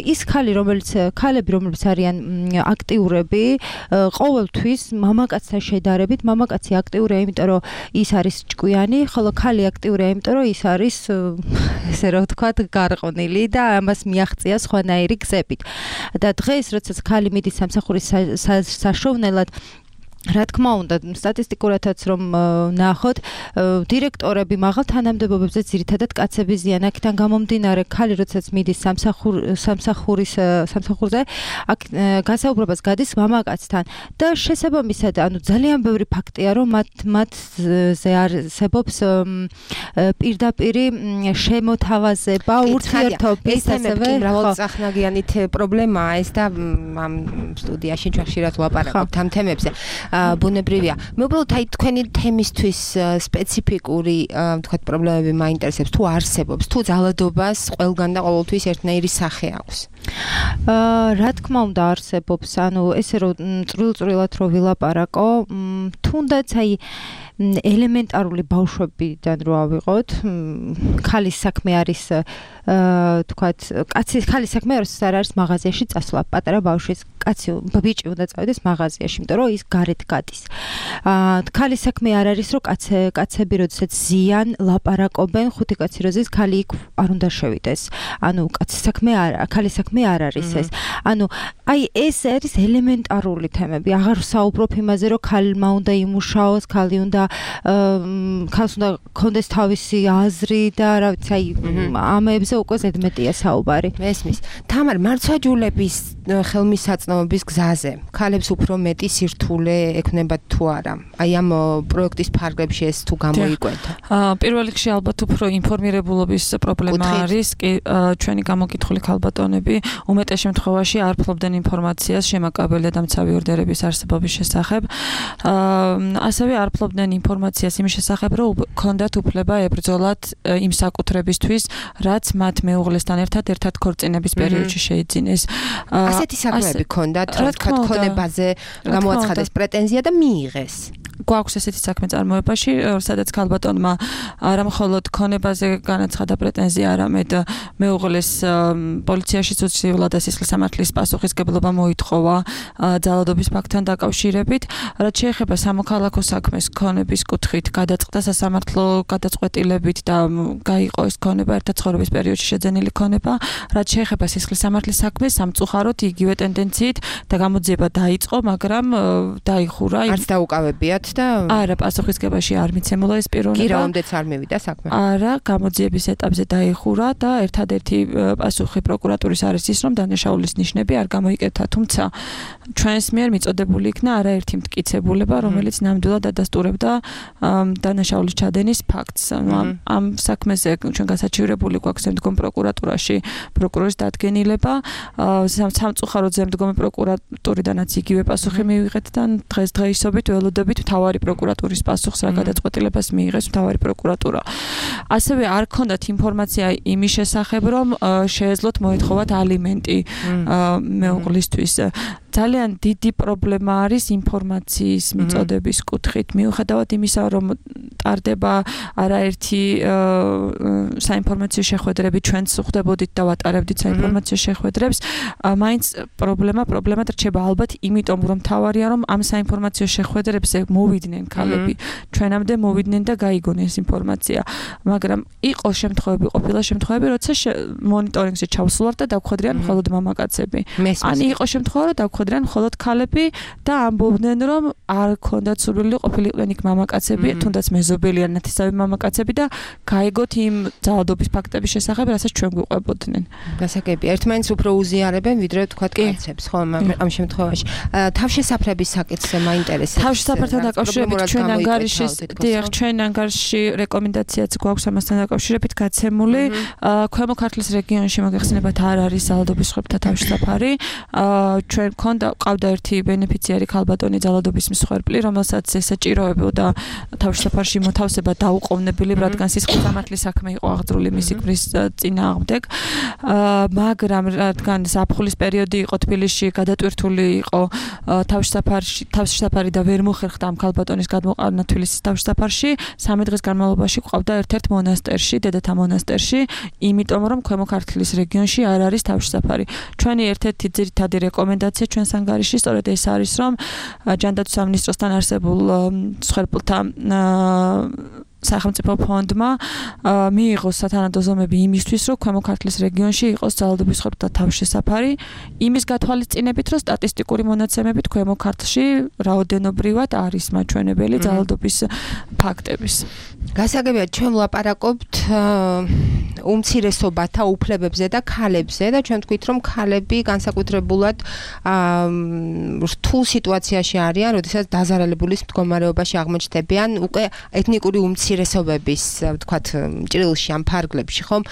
ის ქალი, რომელიც ქალები, რომლებიც არიან აქტიურები, ყოველთვის მამაკაცთან შედარებით, მამაკაცი აქტიურია, იმიტომ რომ ის არის ჭკვიანი, ხოლო ქალი აქტიურია, იმიტომ რომ ის არის ესე რა ვთქვათ, გარყვნილი და ამას მიაღწია სხვანაირი გზებით. და დღეს, როდესაც ქალი მიდის სამსახურის საშოვნელად, რა თქმა უნდა, სტატისტიკურადაც რომ ნახოთ, დირექტორები მაღალ თანამდებობებზე ძირითადად კაცები ზიან. აქედან გამომდინარე, ქალი როდესაც მიდის სამსახურის სამსახურზე, აქ გასაუბრებას გადის მამაკაცთან და შესაბამისად, ანუ ძალიან ბევრი ფაქტია, რომ მათ მათზე არსებობს პირდაპირი შემოთავაზება, ურთიერთობის ასევე მრავალწახნაგიანით პრობლემაა ეს და ამ სტუდიაში ჩვენ ხშირად ვლაპარაკობთ ამ თემებზე. ბუნებრივია. მე უბრალოდ აი თქვენი თემისთვის სპეციფიკური ვთქვათ პრობლემები მაინტერესებს, თუ არსებობს, თუ ძალადობას ყველგან და ყოველთვის ერთნაირი სახე აქვს. აა რა თქმა უნდა არსებობს, ანუ ესე რომ წვრილ-წვრილად რო ვილაპარაკო, თუნდაც აი ელემენტარული ბავშვებიდან რო ავიღოთ, ქალის საქმე არის თქვათ, კაცი ხალი საქმე არ არის მაღაზიაში წასვლა, პატარა ბავშვის კაცი ბიჭი უნდა წავიდეს მაღაზიაში, იმიტომ რომ ის გარეთ გადის. აა ხალი საქმე არ არის, რომ კაცე კაცები როდესაც ზიან, ლაპარაკობენ, ხუთი კაცი როზის ხალი იქ არ უნდა შევიდეს. ანუ კაცი საქმე არ, ხალი საქმე არ არის ეს. ანუ აი ეს არის ელემენტარული თემები. აღარ საუბრობ იმაზე, რომ ხალმა უნდა იმუშაოს, ხალი უნდა ხალს უნდა კონდეს თავისი აზრი და რა ვიცი, აი ამებზე უკვე ზედმეტია საუბარი. მესმის. თამარ, მარცვაჯულების ხელმისაწვდომობის გზაზე ხალებს უფრო მეტი სირთულე ექნებათ თუ არა? აი ამ პროექტის ფარგლებში ეს თუ გამოიკვეთა? აა პირველ რიგში ალბათ უფრო ინფორმირებულობის პრობლემა არის. კი, ჩვენი გამოკითხული ქალბატონები უმეტეს შემთხვევაში არ ფლობდნენ ინფორმაციას შემაკაბელე და მცავი ორდერების არსებობის შესახებ. აა ასევე არ ფლობდნენ ინფორმაციას იმის შესახებ, რომ ქონდათ უფლება ებრძოლათ იმ საკუთრებისთვის, რაც მათ მეუღლესთან ერთად ერთად ქორწინების პერიოდში შეიძინეს. ასეთი საქმეები ქონდათ, რა თქვა, ქონებაზე გამოაცხადეს პრეტენზია და მიიღეს. გვაქვს ესეთი საქმე წარმოებაში, სადაც ქალბატონმა არა მხოლოდ ქონებაზე განაცხადა პრეტენზია, არამედ მეუღლეს პოლიციაში უცვლელად და სისხლის სამართლის პასუხისგებლობა მოითხოვა ძალადობის ფაქტთან დაკავშირებით. რაც შეეხება სამოქალაქო საქმეს ქონების კუთხით, გადაწყდა სასამართლო გადაწყვეტილებით და გაიყო ეს ქონება ერთად ცხოვრების პერიოდში შეძენილი ქონება. რაც შეეხება სისხლის სამართლის საქმეს, სამწუხაროდ იგივე ტენდენციით და გამოძიება დაიწყო, მაგრამ დაიხურა. არც დაუკავებიათ და არა, პასუხისგებაში არ მიცემულა ეს პიროვნება. კი, რაამდეც არ მივიდა საქმე. არა, გამოძიების ეტაპზე დაიხურა და ერთადერთი პასუხი პროკურატურის არის ის, რომ დანაშაულის ნიშნები არ გამოიკეთა, თუმცა ჩვენს მიერ მიწოდებული იქნა არაერთი მტკიცებულება, რომელიც ნამდვილად ადასტურებდა დანაშაულის ჩადენის ფაქტს. ამ საქმეზე ჩვენ გასაჩივრებული გვაქვს შემდგომ პროკურატურაში პროკურორის დადგენილება. სამწუხაროდ შემდგომი პროკურატურიდანაც იგივე პასუხი მივიღეთ და დღეს დღეისობით ველოდებით მთავარი პროკურატურის პასუხს რა გადაწყვეტილებას მიიღეს მთავარი პროკურატურა. ასევე არ ქონდათ ინფორმაცია იმის შესახებ, რომ შეეძლოთ მოეთხოვათ ალიმენტი მეუღლისთვის. ძალიან დიდი პრობლემა არის ინფორმაციის მიწოდების კუთხით. მიუხედავად იმისა, რომ ტარდება არაერთი საინფორმაციო შეხვედრები, ჩვენც ხვდებოდით და ვატარებდით საინფორმაციო შეხვედრებს, მაინც პრობლემა პრობლემად რჩება ალბათ იმიტომ, რომ თავარია, რომ ამ საინფორმაციო შეხვედრებზე მოვიდნენ ქალები, ჩვენამდე მოვიდნენ და გაიგონეს ეს ინფორმაცია. მაგრამ იყო შემთხვევები, ყოფილა შემთხვევები, როცა მონიტორინგზე ჩავსულვართ და დავხვედრიან მხოლოდ მამაკაცები. ან იყო შემთხვევა, რომ დავხვედრიან მხოლოდ ქალები და ამბობდნენ, რომ არ ქონდათ სურვილი ყოფილიყვნენ იქ მამაკაცები, თუნდაც მეზობელი ან ნათესავი მამაკაცები და გაიგოთ იმ ძალადობის ფაქტების შესახებ, რასაც ჩვენ გვიყვებოდნენ. გასაგებია, ერთმანეთს უფრო უზიარებენ, ვიდრე თქვა კაცებს, ხო, ამ შემთხვევაში. თავშესაფრების საკითხზე მაინტერესებს. თავშესაფართან დაკავშირებით ჩვენ ანგარიშის, დიახ, ჩვენ ანგარიში რეკომენდაციაც გვაქვს ამასთან დაკავშირებით გაცემული. ქვემო ქართლის რეგიონში მოგეხსენებათ არ არის ძალადობის სხვებთა თავშესაფარი. ჩვენ ქონდა ყავდა ერთი ბენეფიციარი ქალბატონი ძალადობის მსხვერპლი, რომელსაც ესაჭიროებოდა თავშესაფარში მოთავსება დაუყოვნებელი, რადგან სისხლის სამართლის საქმე იყო აღძრული მისი ქმრის წინააღმდეგ. მაგრამ რადგან ზაფხულის პერიოდი იყო თბილისში, გადატვირთული იყო თავშესაფარში, თავშესაფარი და ვერ მოხერხდა ამ ქალბატონის გადმოყვანა თბილისის თავშესაფარში, სამი დღის განმავლობაში ყავდა ერთ-ერთ მონასტერში, დედათა მონასტერში, იმიტომ რომ ქვემო ქართლის რეგიონში არ არის თავშესაფარი. ჩვენი ერთ-ერთი ძირითადი რეკომენდაცია ჩვენს ანგარიში სწორედ ეს არის, რომ ჯანდაცვის სამინისტროსთან არსებულ მსხვერპლთა სახელმწიფო ფონდმა მიიღოს სათანადო ზომები იმისთვის, რომ ქვემო ქართლის რეგიონში იყოს ძალადობის სხვებთა თავშესაფარი, იმის გათვალისწინებით, რომ სტატისტიკური მონაცემებით ქვემო ქართლში რაოდენობრივად არის მაჩვენებელი ძალადობის ფაქტების. გასაგებია, ჩვენ ვლაპარაკობთ უმცირესობათა უფლებებზე და ქალებზე და ჩვენ თქვით, რომ ქალები განსაკუთრებულად რთულ სიტუაციაში არიან, როდესაც დაზარალებულის მდგომარეობაში აღმოჩნდებიან უკვე ეთნიკური უმცირესობების, ვთქვათ, ჭრილში ამ ფარგლებში, ხომ?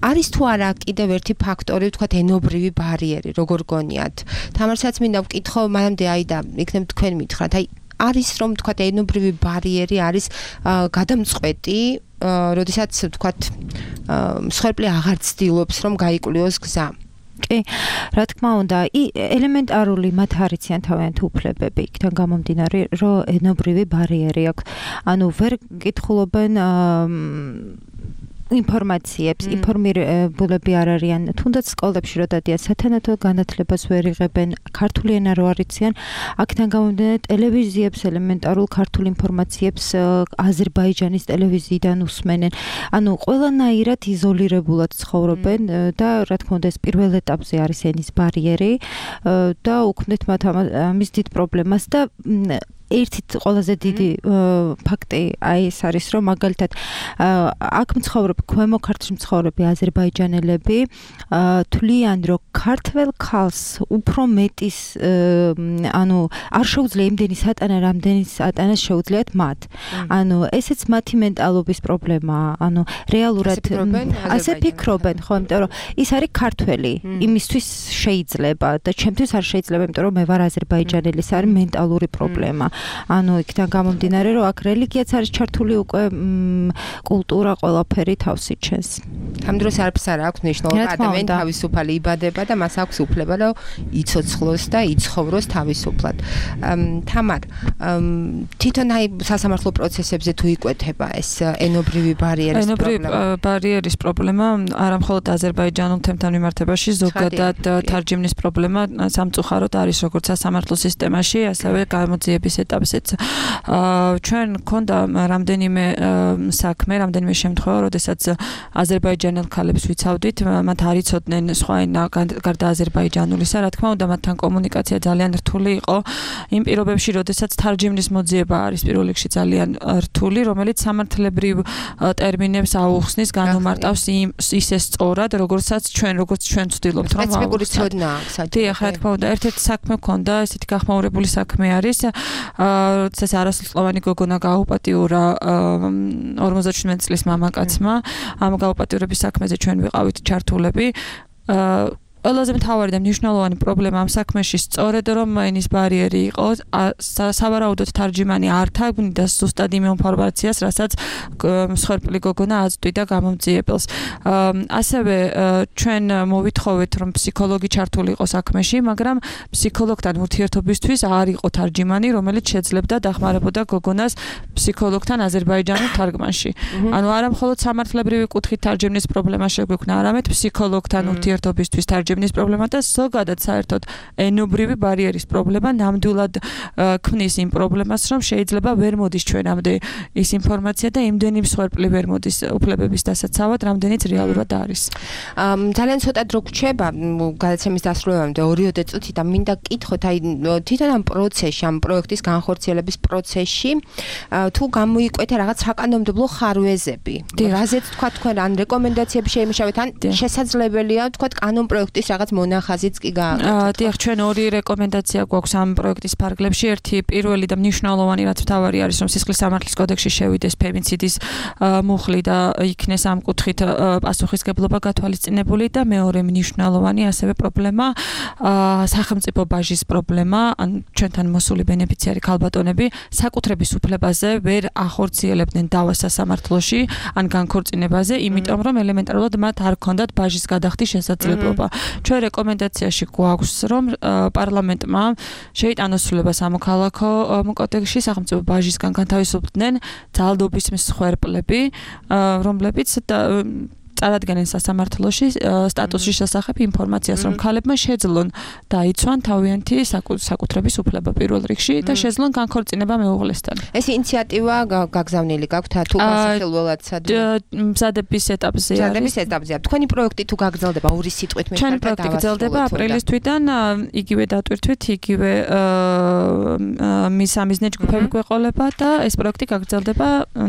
არის თუ არა კიდევ ერთი ფაქტორი, ვთქვათ, ენობრივი ბარიერი, როგორ გონიათ? თამარსაც მინდა ვკითხო, მანამდე აი და იქნებ თქვენ მითხრათ, აი არის რომ თქვათ ენობრივი ბარიერი არის გადამწყვეტი, როდესაც თქვათ მსხვერპლი აღარ ცდილობს რომ გაიკვლიოს გზა. კი, რა თქმა უნდა, ელემენტარული მათ არიციან თავიანთ უფლებები, იქიდან გამომდინარე, რომ ენობრივი ბარიერი აქვს. ანუ ვერ კითხულობენ ინფორმაციებს, ინფორმირებულები არ არიან, თუნდაც სკოლებში რო დადიან სათანადო განათლებას ვერ იღებენ, ქართული ენა რო არ იციან, აქედან გამომდინარე ტელევიზიებს, ელემენტარულ ქართულ ინფორმაციებს აზერბაიჯანის ტელევიზიიდან უსმენენ. ანუ ყველანაირად იზოლირებულად ცხოვრობენ და რა თქმა უნდა ეს პირველ ეტაპზე არის ენის ბარიერი და უქმნით მათ ამის დიდ პრობლემას და ერთი ყველაზე დიდი ფაქტი აი ეს არის რომ მაგალითად აქ მცხოვრები ქვემო ქართლში მცხოვრები აზერბაიჯანელები თვლიან რომ ქართველ ქალს უფრო მეტის ანუ არ შეუძლია იმდენი სატანა რამდენი სატანა შეუძლიათ მათ ანუ ესეც მათი მენტალობის პრობლემაა ანუ რეალურად ასე ფიქრობენ ხო იმიტომ რომ ის არის ქართველი იმისთვის შეიძლება და ჩემთვის არ შეიძლება იმიტომ რომ მე ვარ აზერბაიჯანელი ეს არის მენტალური პრობლემა ანუ იქიდან გამომდინარე რომ აქ რელიგიაც არის ჩართული უკვე კულტურა ყველაფერი თავს იჩენს. ამ დროს არაფერს არ აქვს მნიშვნელობა ადამიანი თავისუფალი იბადება და მას აქვს უფლება რომ იცოცხლოს და იცხოვროს თავისუფლად. თამარ თვითონ აი სასამართლო პროცესებზე თუ იკვეთება ეს ენობრივი ბარიერის პრობლემა. ენობრივი ბარიერის პრობლემა არა მხოლოდ აზერბაიჯანულ თემთან მიმართებაში ზოგადად თარჯიმნის პრობლემა სამწუხაროდ არის როგორც სასამართლო სისტემაში ასევე გამოძიების ეტაპზეც. ჩვენ გქონდა რამდენიმე საქმე, რამდენიმე შემთხვევა, როდესაც აზერბაიჯანელ ქალებს ვიცავდით, მათ არ იცოდნენ სხვა ენა გარდა აზერბაიჯანულისა, რა თქმა უნდა, მათთან კომუნიკაცია ძალიან რთული იყო. იმ პირობებში, როდესაც თარჯიმნის მოძიება არის პირველ რიგში ძალიან რთული, რომელიც სამართლებრივ ტერმინებს აუხსნის, განუმარტავს ისე სწორად, როგორცაც ჩვენ, როგორც ჩვენ ვცდილობთ, რომ სპეციფიკური ცოდნა აქვს. დიახ, რა თქმა უნდა, ერთ-ერთი საქმე გქონდა, ესეთი გახმაურებული საქმე არის. როდესაც არასრულწლოვანი გოგონა გაუპატიურა ორმოცდაშვიდმეტი წლის მამაკაცმა, ამ გაუპატიურების საქმეზე ჩვენ ვიყავით ჩართულები. ყველაზე მთავარი და მნიშვნელოვანი პრობლემა ამ საქმეში სწორედ რომ ენის ბარიერი იყო, სავარაუდოდ თარჯიმანი არ თარგმნიდა ზუსტად იმ ინფორმაციას, რასაც მსხვერპლი გოგონა აწვდიდა გამომძიებელს. ასევე ჩვენ მოვითხოვეთ რომ ფსიქოლოგი ჩართული იყო საქმეში, მაგრამ ფსიქოლოგთან ურთიერთობისთვის არ იყო თარჯიმანი, რომელიც შეძლებდა დახმარებოდა გოგონას ფსიქოლოგთან აზერბაიჯანულ თარგმანში. ანუ არა მხოლოდ სამართლებრივი კუთხით თარჯიმნის პრობლემა შეგვექმნა, არამედ ფსიქოლოგთან ურთიერთობისთვის თარჯიმანი ნის პრობლემა და ზოგადად საერთოდ ენობრივი ბარიერის პრობლემა ნამდვილად ქმნის იმ პრობლემას, რომ შეიძლება ვერ მოდის ჩვენამდე ის ინფორმაცია და იმდენი მსხვერპლი ვერ მოდის უფლებების დასაცავად, რამდენიც რეალურად არის. ძალიან ცოტა დრო გრჩება გადაცემის დასრულებამდე ორიოდე წუთი და მინდა გკითხოთ აი თვითონ ამ პროცესში, ამ პროექტის განხორციელების პროცესში თუ გამოიკვეთა რაღაც საკანონმდებლო ხარვეზები. რაზეც თქვა თქვენ ან რეკომენდაციები შეიმუშავეთ ან შესაძლებელია თქვა კანონ პროექტის რაღაც მონახაზიც კი გააკეთოთ. დიახ, ჩვენ ორი რეკომენდაცია გვაქვს ამ პროექტის ფარგლებში. ერთი პირველი და მნიშვნელოვანი, რაც მთავარი არის, რომ სისხლის სამართლის კოდექსში შევიდეს ფემიციდის მუხლი და იქნეს ამ კუთხით პასუხისგებლობა გათვალისწინებული და მეორე მნიშვნელოვანი ასევე პრობლემა სახელმწიფო ბაჟის პრობლემა, ან ჩვენთან მოსული ბენეფიციარი ქალბატონები საკუთრების უფლებაზე ვერ ახორციელებდნენ დავას სასამართლოში ან განქორწინებაზე, იმიტომ რომ ელემენტარულად მათ არ ჰქონდათ ბაჟის გადახდის შესაძლებლობა. ჩვენ რეკომენდაციაში გვაქვს რომ პარლამენტმა შეიტანოს ცვლილება სამოქალაქო კოდექსში სახელმწიფო ბაჟისგან განთავისუფლდნენ ძალადობის მსხვერპლები, რომლებიც წარადგენენ სასამართლოში სტატუსის შესახებ ინფორმაციას, რომ ქალებმა შეძლონ დაიცვან თავიანთი საკუთრების უფლება პირველ რიგში და შეძლონ განქორწინება მეუღლესთან. ეს ინიციატივა გაგზავნილი გაქვთ თუ განსახილველად მზადების ეტაპზე არის. მზადების ეტაპზეა. თქვენი პროექტი თუ გაგრძელდება ორი სიტყვით მე ჩვენ პროექტი გაგრძელდება აპრილის თვიდან, იგივე დატვირთვით, იგივე მისამიზნე ჯგუფები გვეყოლება და ეს პროექტი გაგრძელდება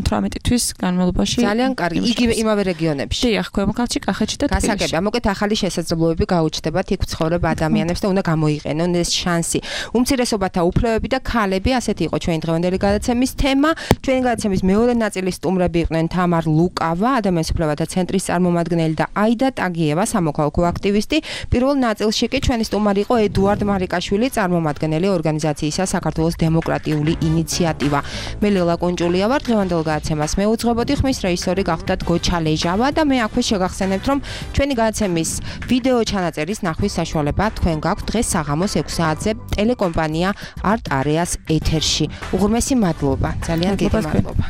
თვრამეტი თვის განმავლობაში. ძალიან კარგი. იგივე იმავე რეგიონებში. ქვემო ქართლში, კახეთში და თბილისში. გასაგებია, მოკეთ ახალი შესაძლებლობები გაუჩნდებათ იქ ცხოვრებ ადამიანებს და უნდა გამოიყენონ ეს შანსი. უმცირესობათა უფლებები და ქალები, ასეთი იყო ჩვენი დღევანდელი გადაცემის თემა. ჩვენი გადაცემის მეორე ნაწილის სტუმრები იყვნენ თამარ ლუკავა, ადამიანის უფლებათა ცენტრის წარმომადგენელი და აიდა ტაგიევა, სამოქალაქო აქტივისტი. პირველ ნაწილში კი ჩვენი სტუმარი იყო ედუარდ მარიკაშვილი, წარმომადგენელი ორგანიზაციისა საქართველოს დემოკრატიული ინიციატივა. მე ლელა კუნჭულია ვარ, დღევანდელ გადაცემას მე უძღვებოდი, ხმის რეჟისორი გახდათ გოჩა ლეჟავა და მე აქვე შეგახსენებთ, რომ ჩვენი გადაცემის ვიდეო ჩანაწერის ნახვის საშუალება თქვენ გაქვთ დღეს საღამოს ექვსი საათზე ტელეკომპანია არტ არეას ეთერში. უღრმესი მადლობა. ძალიან დიდი მადლობა.